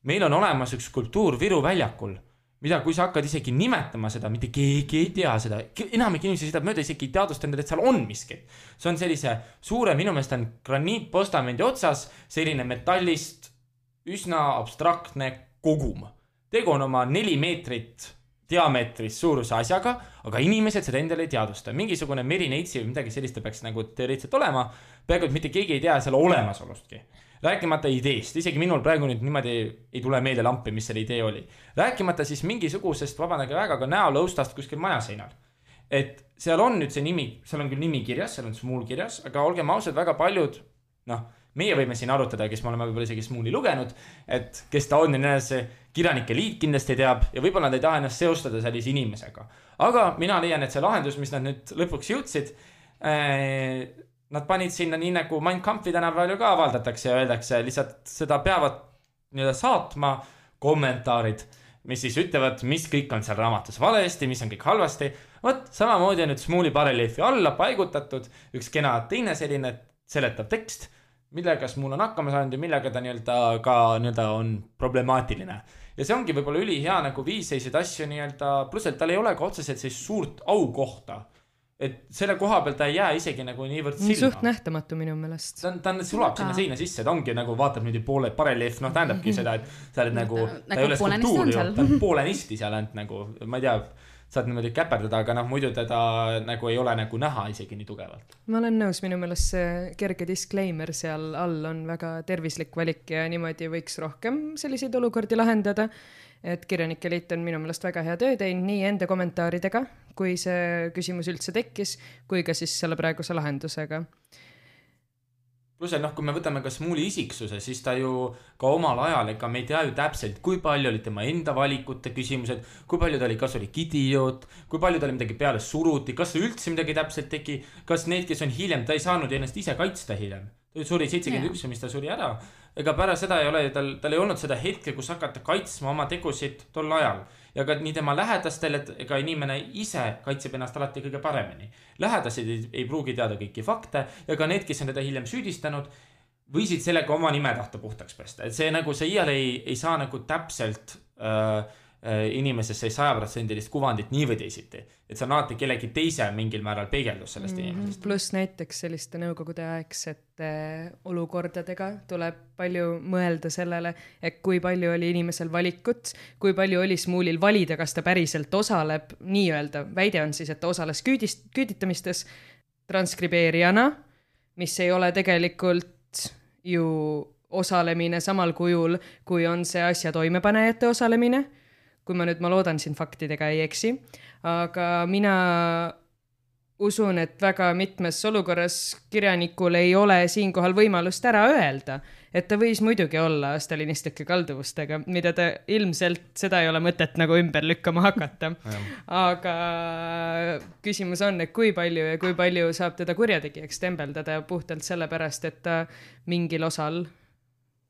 meil on olemas üks skulptuur Viru väljakul, mida kui sa hakkad isegi nimetama seda, mitte keegi ei tea seda, enamik inimesi seda mööda isegi ei teadvustanud, et seal on miskit. See on sellise suure, minu meelest on graniitpostamendi otsas, selline metallist üsna abstraktne kogum. Tegu on oma neli meetrit diameetris suuruse asjaga, aga inimesed seda endale ei teadvusta. Mingisugune merineitsi või midagi sellist peaks nagu teoreetselt olema, peaaegu et mitte keegi ei tea selle olemasolustki. Rääkimata ideest, isegi minul praegu nüüd niimoodi ei tule meelde lampi, mis selle idee oli. Rääkimata siis mingisugusest, vabandage väga, ka näolõustast kuskil majaseinal. Et seal on nüüd see nimi, seal on küll nimi kirjas, seal on Smuul kirjas, aga olgem ausad, väga paljud, noh, meie võime siin arutada, kes me oleme võib-olla isegi Smuuli lugenud, et kes ta on ja see Kirjanike Liit kindlasti teab ja võib-olla nad ei taha ennast seostada sellise inimesega. Aga mina leian, et see lahendus, mis nad nüüd lõpuks jõudsid, eh, nad panid sinna nii nagu Mein Kampfi tänapäeval ju ka avaldatakse ja öeldakse, lihtsalt seda peavad nii-öelda saatma kommentaarid, mis siis ütlevad, mis kõik on seal raamatus valesti, mis on kõik halvasti. Võt, samamoodi on nüüd Smuuli bareljeefi alla paigutatud üks kena teine selline seletav tekst, millega Smuul on hakkama saanud ja millega ta nii-öelda ka nii-öelda on problemaatiline. Ja see ongi võib-olla ülihea nagu viis selliseid asju nii-öelda, pluss et tal ei ole ka otseselt sellist suurt aukohta. Et selle koha peal ta ei jää isegi nagu niivõrd silma. Suht nähtamatu minu meelest. Ta, ta sulab sinna seina sisse, ta ongi nagu vaatab nüüd poole bareljeef, noh tähendabki seda, et sa oled nagu, ta ei ole skulptuur, ta on poolenisti seal ainult nagu, ma ei tea, saad niimoodi käperdada, aga noh, muidu teda nagu ei ole nagu näha isegi nii tugevalt. Ma olen nõus, minu meelest see kerge disclaimer seal all on väga tervislik valik ja niimoodi võiks rohkem selliseid olukordi lahendada, et Kirjanike Liit on minu meelest väga hea töö teinud nii enda kommentaaridega, kui see küsimus üldse tekkis, kui ka siis selle praeguse lahendusega. Plus, noh, kui me võtame ka Smuuli isiksuse, siis ta ju ka omal ajal, ega me ei tea ju täpselt, kui palju oli tema enda valikute küsimused, kui palju ta oli, kas oli idioot, kui palju ta oli midagi peale suruti, kas ta üldse midagi täpselt tegi, kas need, kes on hiljem, ta ei saanud ennast ise kaitsta hiljem. Ta suri seitsekümmend üks, mis ta suri ära. Ega pärast seda ei ole, tal, tal ei olnud seda hetke, kus hakata kaitsma oma tegusid tol ajal. Ja ka nii tema lähedastel, et ega inimene ise kaitseb ennast alati kõige paremini. Lähedased ei, ei pruugi teada kõiki fakte ja ka need, kes on teda hiljem süüdistanud, võisid sellega oma nime tahta puhtaks pesta. Et see nagu see iial ei, ei saa nagu täpselt äh, äh, inimesesse saja protsendilist kuvandit nii või teisiti. Et see on alati kellegi teise mingil määral peegeldus sellest mm-hmm. inimesest. Plus näiteks selliste nõukogude aegsete olukordadega tuleb palju mõelda sellele, et kui palju oli inimesel valikut, kui palju oli Smuulil valida, kas ta päriselt osaleb, nii öelda, väide on siis, et ta osales küüdist, küüditamistes transkribeerijana, mis ei ole tegelikult ju osalemine samal kujul, kui on see asja toimepanejate osalemine, kui ma nüüd, ma loodan siin faktidega ei eksi, aga mina usun, et väga mitmes olukorras kirjanikul ei ole siinkohal võimalust ära öelda, et ta võis muidugi olla stalinistlike kalduvustega, mida ta ilmselt seda ei ole mõtet nagu ümber lükkama hakata. Aga küsimus on, et kui palju ja kui palju saab teda kurjategijaks tembeldada puhtalt sellepärast, et ta mingil osal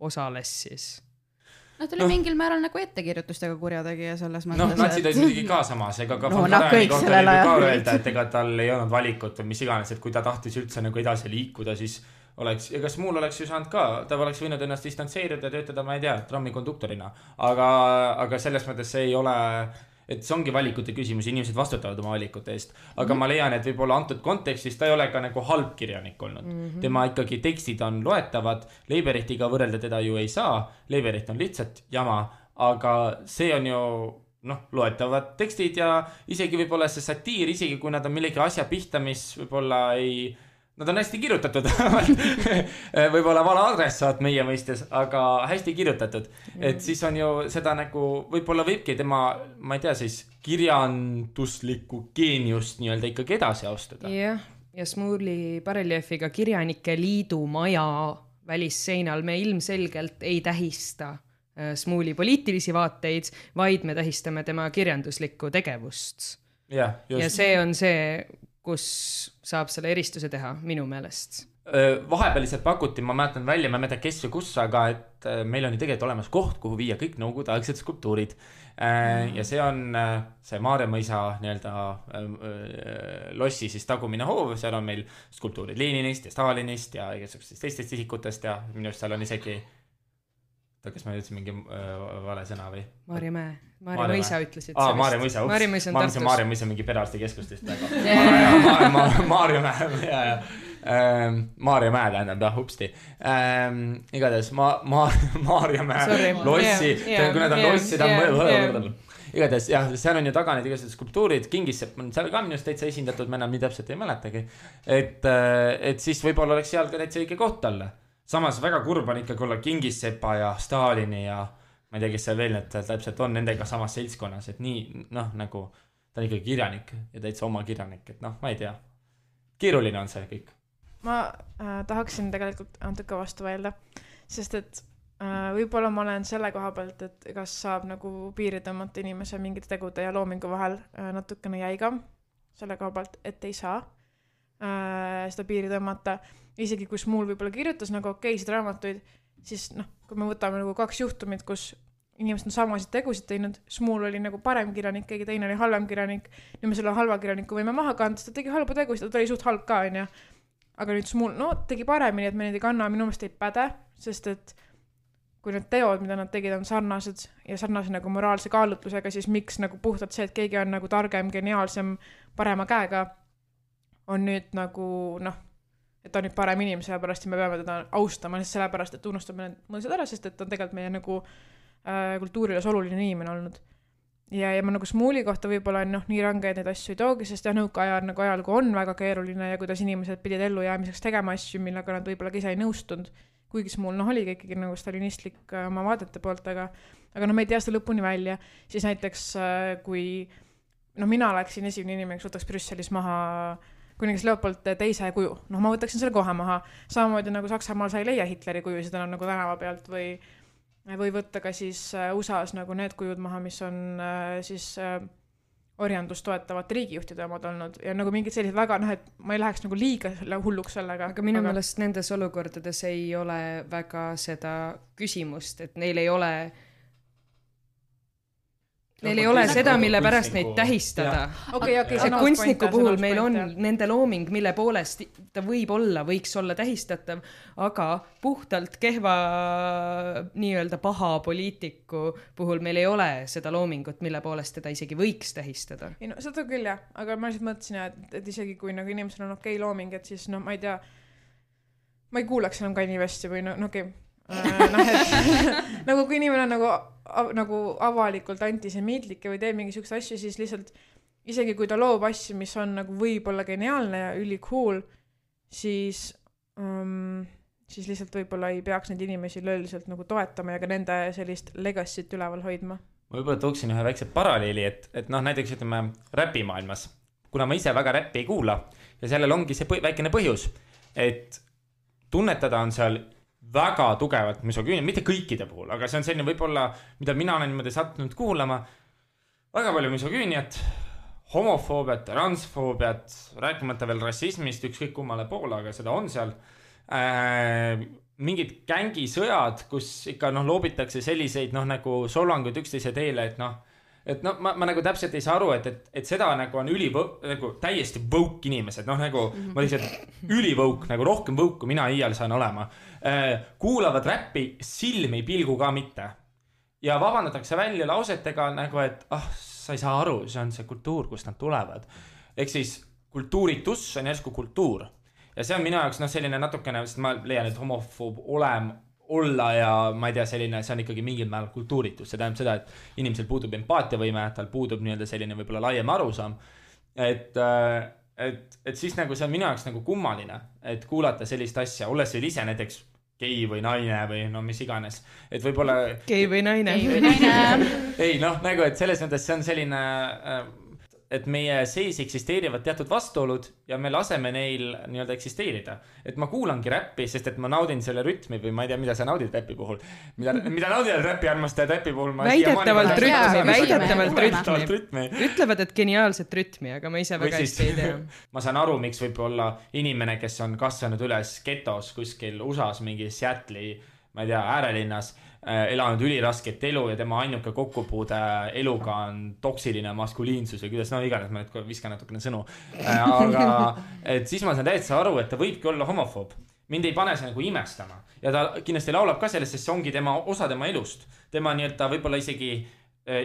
osales siis. No ta oli no. mingil määral nagu ettekirjutustega kurjategija selles mõttes. Noh, natsid olid muidugi ka samas, ega ka no, Fontarani kohta oli ka öelda, et ega tal ei olnud valikut või mis iganes, et kui ta tahtis üldse nagu edasi liikuda, siis oleks, ja kas muul oleks ju saanud ka, ta oleks võinud ennast distantseerida ja töötada, ma ei tea, trammikonduktorina, aga, aga selles mõttes see ei ole, et see ongi valikute küsimus, inimesed vastutavad oma valikute eest, aga mm-hmm. ma leian, et võib-olla antud kontekstis ta ei ole ka nagu halb kirjanik olnud. Mm-hmm. Tema ikkagi tekstid on loetavad, Leiberechtiga võrrelda teda ju ei saa, Leiberecht on lihtsalt jama, aga see on ju noh, loetavad tekstid ja isegi võib-olla see satiir, isegi kui nad on millegi asja pihta, mis võib-olla ei... Nad on hästi kirjutatud, võib-olla vala adressaat meie mõistes, aga hästi kirjutatud. Et siis on ju seda nagu, võib-olla võibki tema, ma ei tea, siis kirjanduslikku geeniust nii-öelda ikkagi edasi austada. Jah, ja Smuuli bareljeefiga Kirjanike Liidu maja välisseinal me ilmselgelt ei tähista Smuuli poliitilisi vaateid, vaid me tähistame tema kirjanduslikku tegevust. Ja, just. Ja see on see... kus saab selle eristuse teha, minu meelest. Vahepealiselt pakuti, ma mäletan välja, ma ei mäleta kes või kus, aga et meil on ju tegelikult olemas koht, kuhu viia kõik nõukogude aegsed skulptuurid. Mm. Ja see on see Maarja mõisa nii-öelda lossi siis tagumine hoov, seal on meil skulptuurid Leninist ja Stalinist ja igasugustest teistest isikutest ja minu arust seal on isegi kas ma ütlesin mingi äh, vale sõna või? Maarja Mäe. Maarja Mõisa ütlesid. Aa, Maarja Mõisa, ups. Maarja Mõisa on Tartus. Maarja Mõisa mingi perearsti keskustest. Maarja Mäe, ja, ja. Ähm, Maarja Mäe tähendab, jah, upsti. Ähm, igatahes, ma, ma, Maarja Mäe Sorry. Lossi, yeah, yeah, kui nad on yeah, lossi, ta on yeah, yeah. Igatahes, jah, seal on ju taga need igasugused skulptuurid, Kingissepp on seal ka minust täitsa esindatud, ma enam nii täpselt ei mäletagi. Et, et siis võib-olla oleks seal ka täitsa õige koht olla. Samas väga kurb on ikkagi olla Kingissepa ja Stalini ja ma ei tea, kes seal veel need täpselt on nendega samas seltskonnas, et nii, noh, nagu ta on ikkagi kirjanik ja täitsa oma kirjanik, et noh, ma ei tea. Keeruline on see kõik. Ma äh, tahaksin tegelikult natuke vastu öelda, sest et äh, võib-olla ma olen selle koha pealt, et kas saab nagu piiri tõmmata inimese mingite tegude ja loomingu vahel äh, natukene jäigam selle koha pealt, et ei saa äh, seda piiri tõmmata. Isegi kus muul võib-olla kirjutas nagu okeisid raamatuid, siis noh, kui me võtame nagu kaks juhtumit, kus inimesed on samasid tegusid teinud, Smuul oli nagu parem kirjanik, keegi teine oli halvem kirjanik, nüüd me selle halva kirjaniku võime maha kanda, ta tegi halba tegusid, ta oli suht halb ka, on ja. Aga nüüd Smuul, no tegi paremini, et me neid ei kanna, minu meelest ei päde, sest et kui need teod, mida nad tegid, on sarnased ja sarnase nagu moraalse kaalutlusega, siis miks nagu puhtalt see, et keegi on nagu targem, geniaalsem, parema käega, on nüüd nagu noh, et ta on nüüd parem inimene, sellepärast me peame teda austama, sellepärast, et tunnustame need mõisad ära, sest et ta on tegelikult meie nagu äh, kultuuriles oluline inimene olnud. Ja, ja ma nagu Smuuli kohta võib-olla noh, nii rangeid neid asju ei toogi, sest jah, nõukaajal nagu ajalugu on väga keeruline ja kuidas inimesed pidid ellu jäämiseks tegema asju, millega nad võib-olla ise ei nõustunud, kuigi Smuul noh, oli ikkagi nagu stalinistlik äh, oma vaadete poolt, aga, aga noh, me ei tea seda lõpuni välja, siis näiteks äh, kui noh, mina oleksin esimene inimene, kes võtaks Brüsselis maha kuningas Leopold teise kuju. Noh, ma võtaksin selle kohe maha. Samamoodi nagu Saksamaal sai leia Hitleri kuju, seda on nagu tänava pealt või, või võtta ka siis U S A-s nagu need kujud maha, mis on siis orjandust toetavate riigijuhtide omad olnud. Ja nagu mingid sellised väga, noh, et ma ei läheks nagu liiga hulluks sellega. Aga minu aga... meelest nendes olukordades ei ole väga seda küsimust, et neil ei ole Neil ei ole seda, mille pärast neid tähistada. Okay, okay, see kunstniku puhul meil on ja. Nende looming, mille poolest ta võib olla, võiks olla tähistatav, aga puhtalt kehva nii-öelda paha poliitiku puhul meil ei ole seda loomingut, mille poolest teda isegi võiks tähistada. Ei, no, seda küll jah, aga ma lihtsalt mõtlesin, et, et isegi kui nagu inimesel on okei looming, et siis no ma ei tea, ma ei kuulaks enam Kanye Westi või no, no okei, noh, et nagu kui inimene on nagu, nagu avalikult antisemiitlik või teeb mingi sükse asju, siis lihtsalt isegi kui ta loob asju, mis on nagu võib-olla geniaalne ja üli cool, siis, um, siis lihtsalt võib-olla ei peaks neid inimesi lõeliselt nagu toetama ja ka nende sellist legacy't üleval hoidma. Ma võib-olla tooksin ühe väikse paralleeli, et, et noh, näiteks ütleme räpimaailmas kuna ma ise väga räppi ei kuula ja sellel ongi see põ- väikene põhjus, et tunnetada on seal väga tugevalt misogüünia, mitte kõikide puhul, aga see on selline võib-olla, mida mina olen niimoodi sattunud kuulama, väga palju misogüüniat, homofoobiat, transfoobiat, rääkimata veel rassismist, ükskõik kummale poole, aga seda on seal. Äh, mingid gängisõjad, kus ikka noh, loobitakse selliseid noh, nagu solvanguid üksteise teele, et noh, et noh, ma, ma nagu täpselt ei saa aru, et, et, et seda nagu on üli, nagu täiesti võuk inimesed, noh nagu mm-hmm. ma lihtsalt ülivõuk, nagu rohkem võuk, kui mina iial saan olema. Äh, kuulavad räppi silmi pilgu ka mitte. Ja vabandatakse välja lausetega nagu, et ah, sa ei saa aru, see on see kultuur, kust nad tulevad. Ehk siis kultuuritus on järsku kultuur. Ja see on minu jaoks noh, selline natukene, sest ma leian, et homofoob olem, olla ja ma ei tea, selline, see on ikkagi mingil määral kultuuritus. See tähendab seda, et inimesel puudub empaatiavõime, tal puudub nii-öelda selline võib-olla laiem arusaam. Et, et, et siis nagu see on minu jaoks nagu kummaline, et kuulata sellist asja, olles veel ise näiteks gei või naine või no mis iganes. Et võib-olla... Gei või naine. Gei või naine. ei noh, nagu et selles mõttes see on selline... et meie sees eksisteerivad teatud vastuolud ja me laseme neil nii-öelda eksisteerida. Et ma kuulangi räppi, sest et ma naudin selle rütmi või ma ei tea, mida sa naudid räppi puhul. Mida, mida naudivad räppi armastajad räppi puhul? Väidetavalt rütmi, väidetavalt rütmi. rütmi. Ütlevad, et geniaalset rütmi, aga ma ise väga hästi ei tea. Ma saan aru, miks võib olla inimene, kes on kasvanud üles getos kuskil U S As mingi Seattle'i, ma ei tea, äärelinnas, elanud ülirasket elu ja tema ainuke kokkupuude eluga on toksiline maskuliinsus või kuidas, no iganes, ma nüüd viskan natukene sõnu. Aga et siis ma saan täitsa aru, et ta võibki olla homofoob. Mind ei pane see nagu imestama. Ja ta kindlasti laulab ka sellest, sest see ongi tema, osa tema elust. Tema nii, et ta võib-olla isegi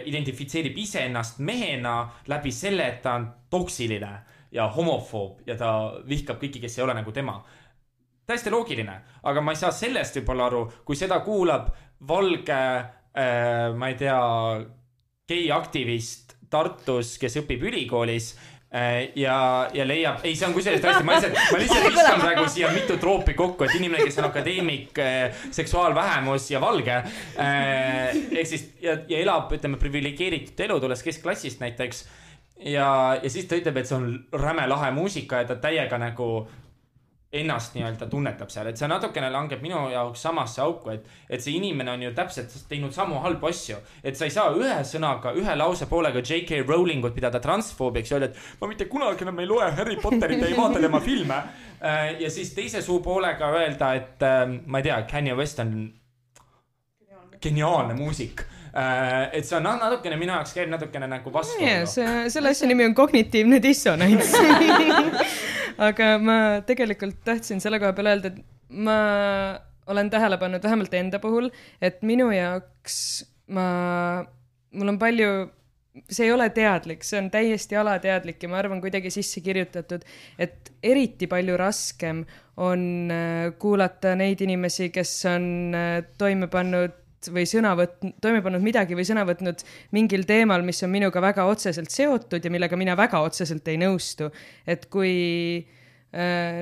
identifitseerib ise ennast mehena läbi selle, et ta on toksiline ja homofoob ja ta vihkab kõiki, kes ei ole nagu tema. Täiesti loogiline, aga ma ei saa sellest võib-olla aru, kui seda kuulab valge, äh, ma ei tea, gei-aktivist Tartus, kes õpib ülikoolis äh, ja, ja leiab, ei, see on kusjuures tõesti, ma lihtsalt, ma lihtsalt viskan praegu siia mitu troopi kokku, et inimene, kes on akadeemik, äh, seksuaalvähemus ja valge, äh, ehk siis, ja, ja elab, ütleme, privilegeeritud elu, tulles keskklassist näiteks, ja, ja siis ta ütleb, et see on räme lahe muusika ja ta täiega nagu ennast nii-öelda tunnetab seal, et see natukene langeb minu jaoks samasse auku, et, et see inimene on ju täpselt teinud samu halbu asju, et sa ei saa ühe sõnaga, ühe lause poolega J K Rowlingut pidada transfoobiks ja öelda, et ma mitte kunagi enam ei loe Harry Potterit ja ei vaata tema filme ja siis teise suu poolega öelda, et ma ei tea, Kanye West on geniaalne muusik. Et see on natukene minu jaoks käib natukene nagu vastu. Yeah, see, selle asja nimi on kognitiivne dissonants. Aga ma tegelikult tahtsin selle koha peale öelda, et ma olen tähele pannud vähemalt enda puhul, et minu jaoks ma, mul on palju, see ei ole teadlik, see on täiesti alateadlik ja ma arvan kuidagi sisse kirjutatud, et eriti palju raskem on kuulata neid inimesi, kes on toime pannud või sõna võtnud, toime pannud midagi või sõna võtnud mingil teemal, mis on minuga väga otseselt seotud ja millega mina väga otseselt ei nõustu. Et kui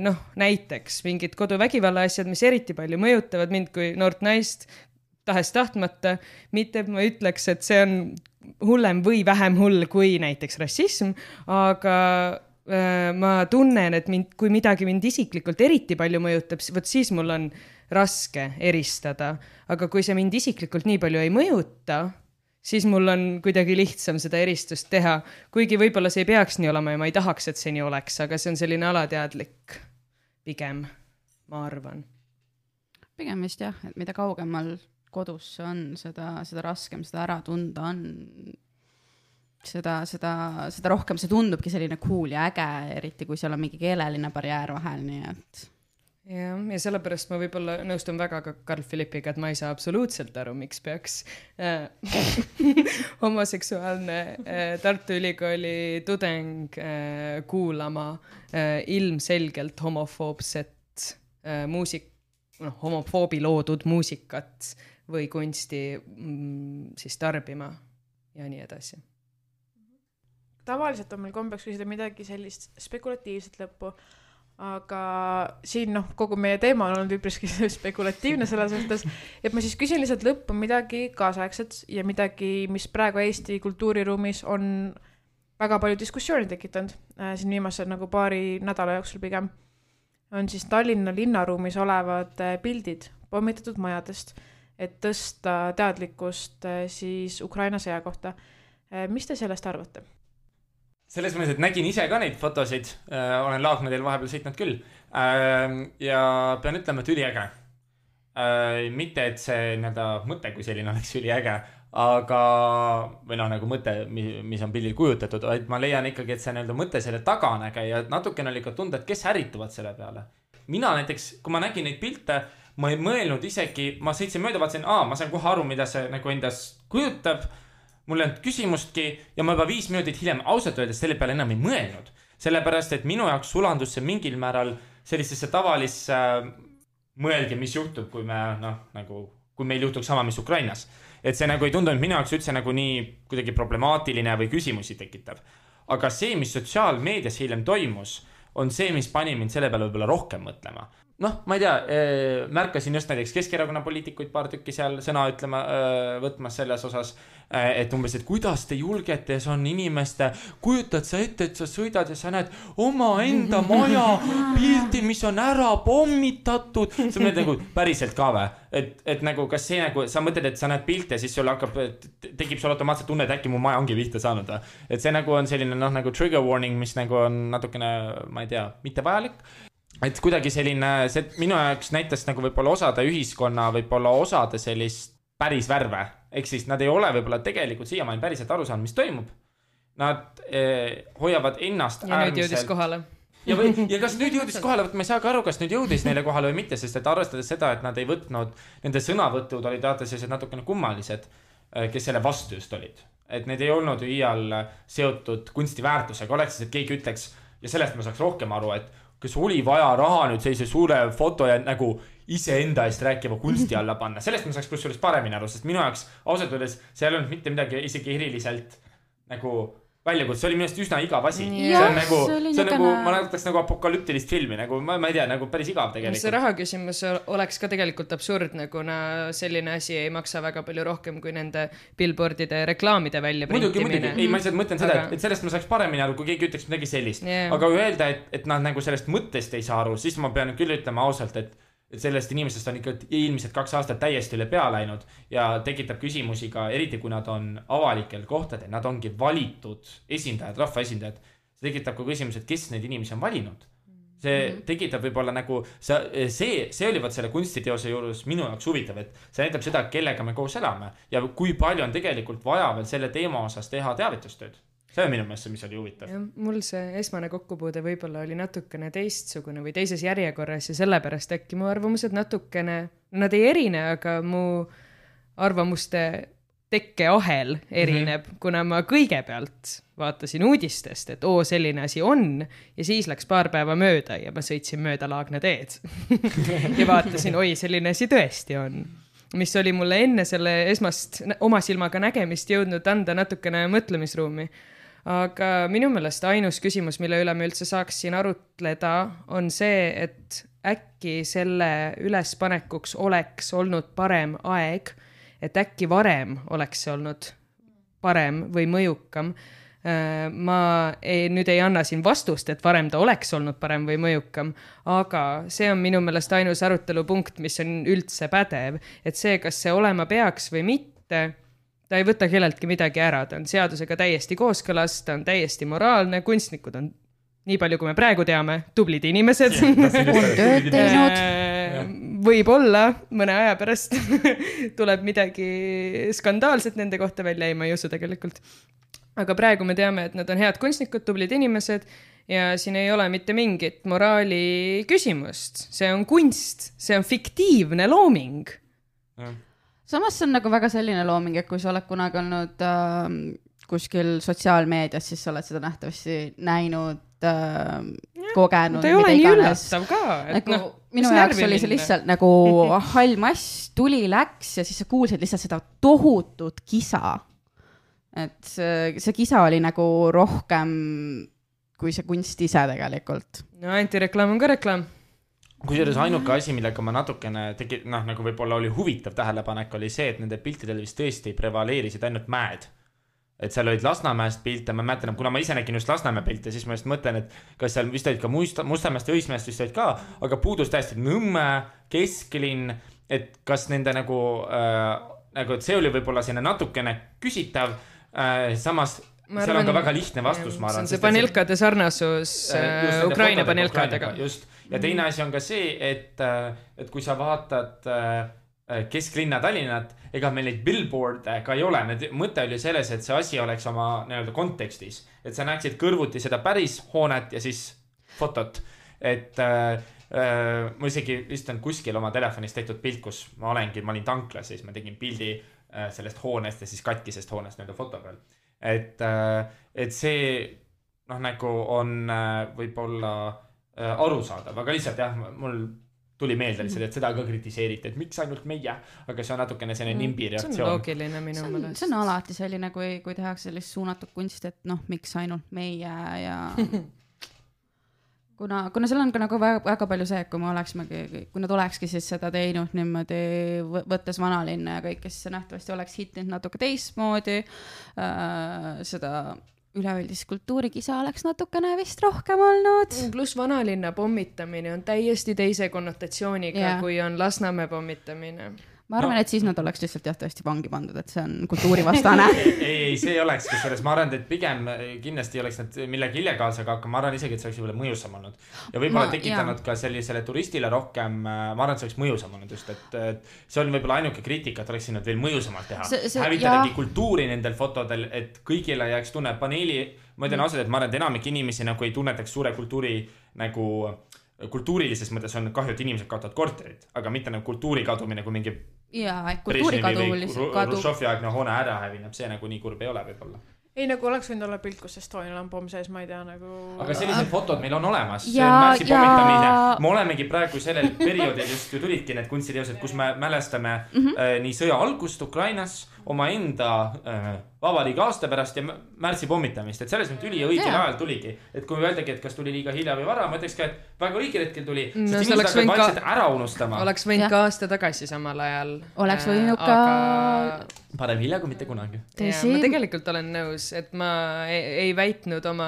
noh, näiteks mingid koduvägivalla asjad, mis eriti palju mõjutavad mind kui noort naist tahes tahtmata, mitte et ma ütleks, et see on hullem või vähem hull kui näiteks rassism, aga ma tunnen, et mind, kui midagi mind isiklikult eriti palju mõjutab, võt siis mul on raske eristada, aga kui see mind isiklikult nii palju ei mõjuta, siis mul on kuidagi lihtsam seda eristust teha, kuigi võib-olla see ei peaks nii olema ja ma ei tahaks, et see nii oleks, aga see on selline alateadlik pigem, ma arvan. Pigem vist jah, et mida kaugemal kodus on, seda, seda raskem seda ära tunda on, seda, seda, seda rohkem see tundubki selline cool ja äge, eriti kui seal on mingi keeleline barjäär vahel, nii et ja, ja sellepärast ma võib-olla nõustun väga ka Carl Philippiga, et ma ei saa absoluutselt aru, miks peaks äh, homoseksuaalne äh, Tartu Ülikooli tudeng äh, kuulama äh, ilmselgelt homofoobset äh, muusik, noh, homofoobi loodud muusikat või kunsti mm, siis tarbima ja nii edasi. Tavaliselt on meil kombeks küsida midagi sellist spekulatiivset lõppu, aga siin noh, kogu meie teema on olnud üpriski spekulatiivne selles suhtes, et ma siis küsin lihtsalt lõppu midagi kaasaegset ja midagi, mis praegu Eesti kultuuriruumis on väga palju diskussiooni tekitanud äh, siin viimase nagu paari nädala jooksul pigem, on siis Tallinna linnaruumis olevad äh, pildid pommitatud majadest, et tõsta teadlikkust äh, siis Ukraina sõja kohta. Äh, mis te sellest arvate? Selles mõttes, et nägin ise ka neid fotosid, äh, olen Laagna-teel vahepeal sõitnud küll äh, ja pean ütlema, et üliäge. Äh, mitte, et see nii-öelda mõte kui selline oleks üliäge, aga, või noh, nagu mõte, mis on pildil kujutatud, vaid ma leian ikkagi, et see nii-öelda mõte selle taga on äge ja natukene oli ka tunda, et kes ärituvad selle peale. Mina näiteks, kui ma nägin neid pilte, ma ei mõelnud isegi, ma sõitsin mööda, vaatasin, aa, ma saan kohe aru, mida see nagu endas kujutab, mul ei olnud küsimustki ja ma juba viis minutit hiljem ausalt öeldes selle peale enam ei mõelnud. Sellepärast, et minu jaoks sulandus see mingil määral sellisesse tavalisse äh, mõelge, mis juhtub, kui me, noh, nagu, kui meil juhtuks sama, mis Ukrainas. Et see nagu ei tundunud minu jaoks üldse nagu nii kuidagi problemaatiline või küsimusi tekitav. Aga see, mis sotsiaalmeedias hiljem toimus, on see, mis pani mind selle peale võib-olla rohkem mõtlema. Noh, ma ei tea, märkasin just näiteks Keskerakonna poliitikuid paar tükki seal sõna ütlema, võtmas selles osas, et umbes, et kuidas te julgete, see on inimeste, kujutad sa ette, et sa sõidad ja sa näed oma enda maja pilti, mis on ära pommitatud. See on nagu päriselt ka või, et, et nagu kas see nagu, sa mõtled, et sa näed pilte, siis sul hakkab, tekib sul automaatselt tunne, et äkki mu maja ongi vihta saanud. Et see nagu on selline noh, nagu trigger warning, mis nagu on natukene, ma ei tea, mitte vajalik. Et kuidagi selline, see minu jaoks näitas nagu võib-olla osade ühiskonna, võib-olla osade sellist päris värve. Ehk siis nad ei ole võib-olla tegelikult siiamaani päriselt aru saanud, mis toimub. Nad eh, hoiavad ennast ja äärmiselt. Ja nüüd jõudis kohale. Ja, või, ja kas nüüd jõudis kohale, ma ei saa ka aru, kas nüüd jõudis neile kohale või mitte, sest et arvestades seda, et nad ei võtnud, nende sõnavõtud olid teate sellised natukene kummalised, kes selle vastu just olid. Et need ei olnud ju iial seotud kunstiväärtusega, oleks siis, et keegi ütleks, ja sellest ma saaks rohkem aru, et kas oli vaja raha nüüd sellise suure foto ja nagu iseenda eest rääkiva kunsti alla panna. Sellest ma saaks pluss sellest paremini aru, sest minu jaoks ausalt öeldes seal ei olnud mitte midagi isegi eriliselt nagu väljakutse. See oli minust üsna igav asi. Ja, see on nagu, see see on nagu ma näitaks nagu apokalüptilist filmi, nagu ma, ma ei tea, nagu päris igav tegelikult. See raha küsimus oleks ka tegelikult absurdne, kuna selline asi ei maksa väga palju rohkem kui nende billboardide reklaamide välja muidugi, printimine. Muidugi, ei, ma lihtsalt mõtlen seda, et, et sellest ma saaks paremini aru, kui keegi ütleks midagi sellist. Yeah. Aga öelda, et, et nad nagu sellest mõttest ei saa aru, siis ma pean küll ütlema ausalt, et et sellest inimesest on ikka ilmselt kaks aastat täiesti üle pea läinud ja tekitab küsimusi ka, eriti kui nad on avalikel kohtadel, nad ongi valitud esindajad, rahva esindajad. See tekitab ka küsimus, et kes neid inimesi on valinud. See tekitab võib-olla nagu, see, see, see oli võt selle kunstiteose juures minu jaoks huvitav, et see näitab seda, kellega me koos elame ja kui palju on tegelikult vaja veel selle teema osas teha teavitustööd. See on minu meelest see, mis oli huvitav. Ja, mul see esmane kokkupuude võib-olla oli natukene teistsugune või teises järjekorras ja sellepärast äkki mu arvamused natukene, nad ei erine, aga mu arvamuste tekkeahel erineb, mm-hmm. kuna ma kõigepealt vaatasin uudistest, et oo, selline asi on ja siis läks paar päeva mööda ja ma sõitsin mööda Laagna teed ja vaatasin, oi, selline asi tõesti on. Mis oli mulle enne selle esmast oma silmaga nägemist jõudnud anda natukene mõtlemisruumi. Aga minu meelest ainus küsimus, mille üle me üldse saaks siin arutleda, on see, et äkki selle ülespanekuks oleks olnud parem aeg, et äkki varem oleks see olnud parem või mõjukam. Ma ei, nüüd ei anna siin vastust, et varem ta oleks olnud parem või mõjukam, aga see on minu meelest ainus arutelupunkt, mis on üldse pädev, et see, kas see olema peaks või mitte, ta ei võta kelleltki midagi ära, ta on seadusega täiesti kooskõlas, ta on täiesti moraalne, kunstnikud on, nii palju kui me praegu teame, tublid inimesed. On tööd teinud. Võib-olla mõne aja pärast tuleb midagi skandaalset nende kohta välja, ei ma ei usu tegelikult. Aga praegu me teame, et nad on head kunstnikud, tublid inimesed ja siin ei ole mitte mingit moraali küsimust. See on kunst, see on fiktiivne looming. Ja. Samas see on nagu väga selline looming, et kui sa oled kunagi olnud äh, kuskil sotsiaalmeedias, siis sa oled seda nähtavasti näinud, äh, kogenud. Ta ei ole nii üllatav ka. Et nagu, no, minu jaoks oli see lihtsalt nagu hall mass, tuli läks ja siis sa kuulsid lihtsalt seda tohutut kisa. Et see, see kisa oli nagu rohkem kui see kunst ise tegelikult. No antireklaam on ka reklaam. Kui selles ainuke asi, millega ma natukene tegi, noh, nagu võib-olla oli huvitav tähelepanek, oli see, et nende piltidel vist tõesti prevaleerisid ainult mäed. et seal olid Lasnamäest pilte, ma mäletan, kuna ma ise nägin just Lasnamäe pilte, siis ma just mõtlen, et kas seal vist olid ka Musta, Mustamäest ja Õismäest vist olid ka, aga puudus täiesti Nõmme, kesklinn, et kas nende nagu, äh, nagu, et see oli võib-olla sinna natukene küsitav, äh, samas ma seal arvan, on ka väga lihtne vastus, ma arvan. See on see panelkade sarnasus äh, Ukraina panelkadega. Just, ja teine asi on ka see, et, et kui sa vaatad kesklinna Tallinnat, ega meil neid billboard'e ka ei ole. Need mõte oli selles, et see asi oleks oma nii-öelda kontekstis. Et sa näeksid kõrvuti seda päris hoonet ja siis fotot. Et äh, äh, ma isegi vist on kuskil oma telefonis tehtud pilt, kus ma olengi, ma olin tanklas ja siis ma tegin pildi äh, sellest hoonest ja siis katkisest hoonest nii-öelda foto peal. Et, äh, et see noh, nagu on äh, võib-olla äh, arusaadav, aga lihtsalt jah, mul tuli meelde lihtsalt, et seda ka kritiseeriti, et miks ainult meie, aga see on natukene selline nimbi reaktsioon. See on loogiline minu meelest. See on alati selline, kui, kui tehakse sellist suunatud kunst, et noh, miks ainult meie ja kuna, kuna seal on ka nagu väga, väga palju see, et kui me oleksimegi, kui nad olekski siis seda teinud niimoodi võttes vanalinna ja kõik, kes nähtavasti oleks hittinud natuke teistmoodi, äh, seda üleüldist kultuurikisa oleks natukene vist rohkem olnud. Plus vanalinna pommitamine on täiesti teise konnotatsiooniga, yeah. kui on Lasnamäe pommitamine. Ma arvan, no. et siis nad oleks lihtsalt jah tõesti vangi pandud, et see on kultuurivastane. ei, ei, see ei oleks, kes selles, ma arvan, et pigem kindlasti oleks nad millegi illegaalsega, aga ma arvan isegi, et see oleks võib-olla mõjusam olnud. Ja võib-olla ma, tekitanud jah. Ka sellisele turistile rohkem, ma arvan, et see oleks mõjusam olnud just, et, et see on võib-olla ainuke kriitika, et oleks sinnud veel mõjusamalt teha. Hävitadagi kultuuri nendel fotodel, et kõigile jääks tunne paneeli, ma ütlen ausalt, et ma arvan, et enamik inimesi nagu ei tunnetaks suure kultuuri nagu kultuurilises mõttes on kahju, et inimesed kaotavad korterit, aga mitte nagu kultuuri kadumine kui mingi jaa, kultuuri kadu Rušovi aegne hoone ära hävineb, see nagu nii kurb ei ole võib-olla. Ei, nagu oleks võinud olla pilt, kus Estonia lampoom sees, ma ei tea, nagu... Aga sellised fotod meil on olemas, see on märtsi pommitamine. Me olemegi praegu sellel perioodil just ju tulidki need kunstiteosed, kus me mälestame mm-hmm. äh, nii sõja algust Ukrainas, oma enda äh, vabariigi aasta pärast ja märtsi pommitamist, et selles mõttes üli ja õigel yeah. ajal tuligi, et kui me öeldagi, et kas tuli liiga hilja või vara, ma ütleks ka, et väga õigel hetkel tuli, no, sest inimesed hakkab vaikselt ka... ära unustama. Oleks võinud ka aasta tagasi samal ajal. Oleks võinud ka... Aga... Parem hilja kui mitte kunagi. Ja, ma tegelikult olen nõus, et ma ei, ei väitnud oma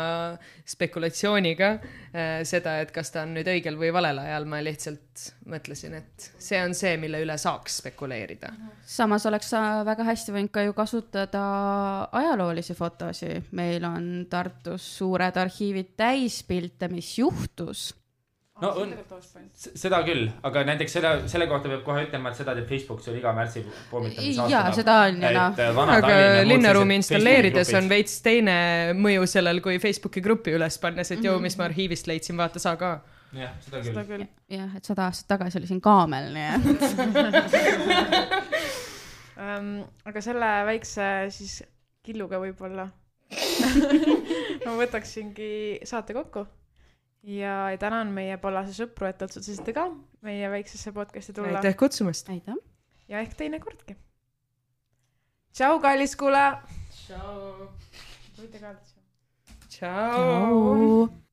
spekulatsiooniga äh, seda, et kas ta on nüüd õigel või valel ajal, ma lihtsalt mõtlesin, et see on see, mille üle saaks spekuleerida. Samas oleks väga hästi võinud ka ju kasutada ajaloolisi fotosi. Meil on Tartus suured arhiivid täis pilte, mis juhtus. No on, seda küll, aga näiteks selle, selle kohta peab kohe ütlema, et seda teeb Facebook, see oli iga märtsi pommitamise aastana. Jaa, seda on ja noh. Aga linnaruumi installeerides on veits teine mõju sellel, kui Facebooki gruppi üles pannes, et mm-hmm. joo, mis ma arhiivist leidsin, vaata sa ka. Jah, seda küll. Seda küll. Jah, et sada aastat tagasi oli siin kaamel, nii. um, aga selle väikse siis killuga võib-olla ma võtaksingi saate kokku. Ja tänan meie Pallase sõpru, et otsustasite ka meie väiksesse podcasti tulla. Aitäh kutsumast. Aitäh. Ja ehk teine kordki. Tšau, kallis kuule. Tšau. Võite ka. Tšau.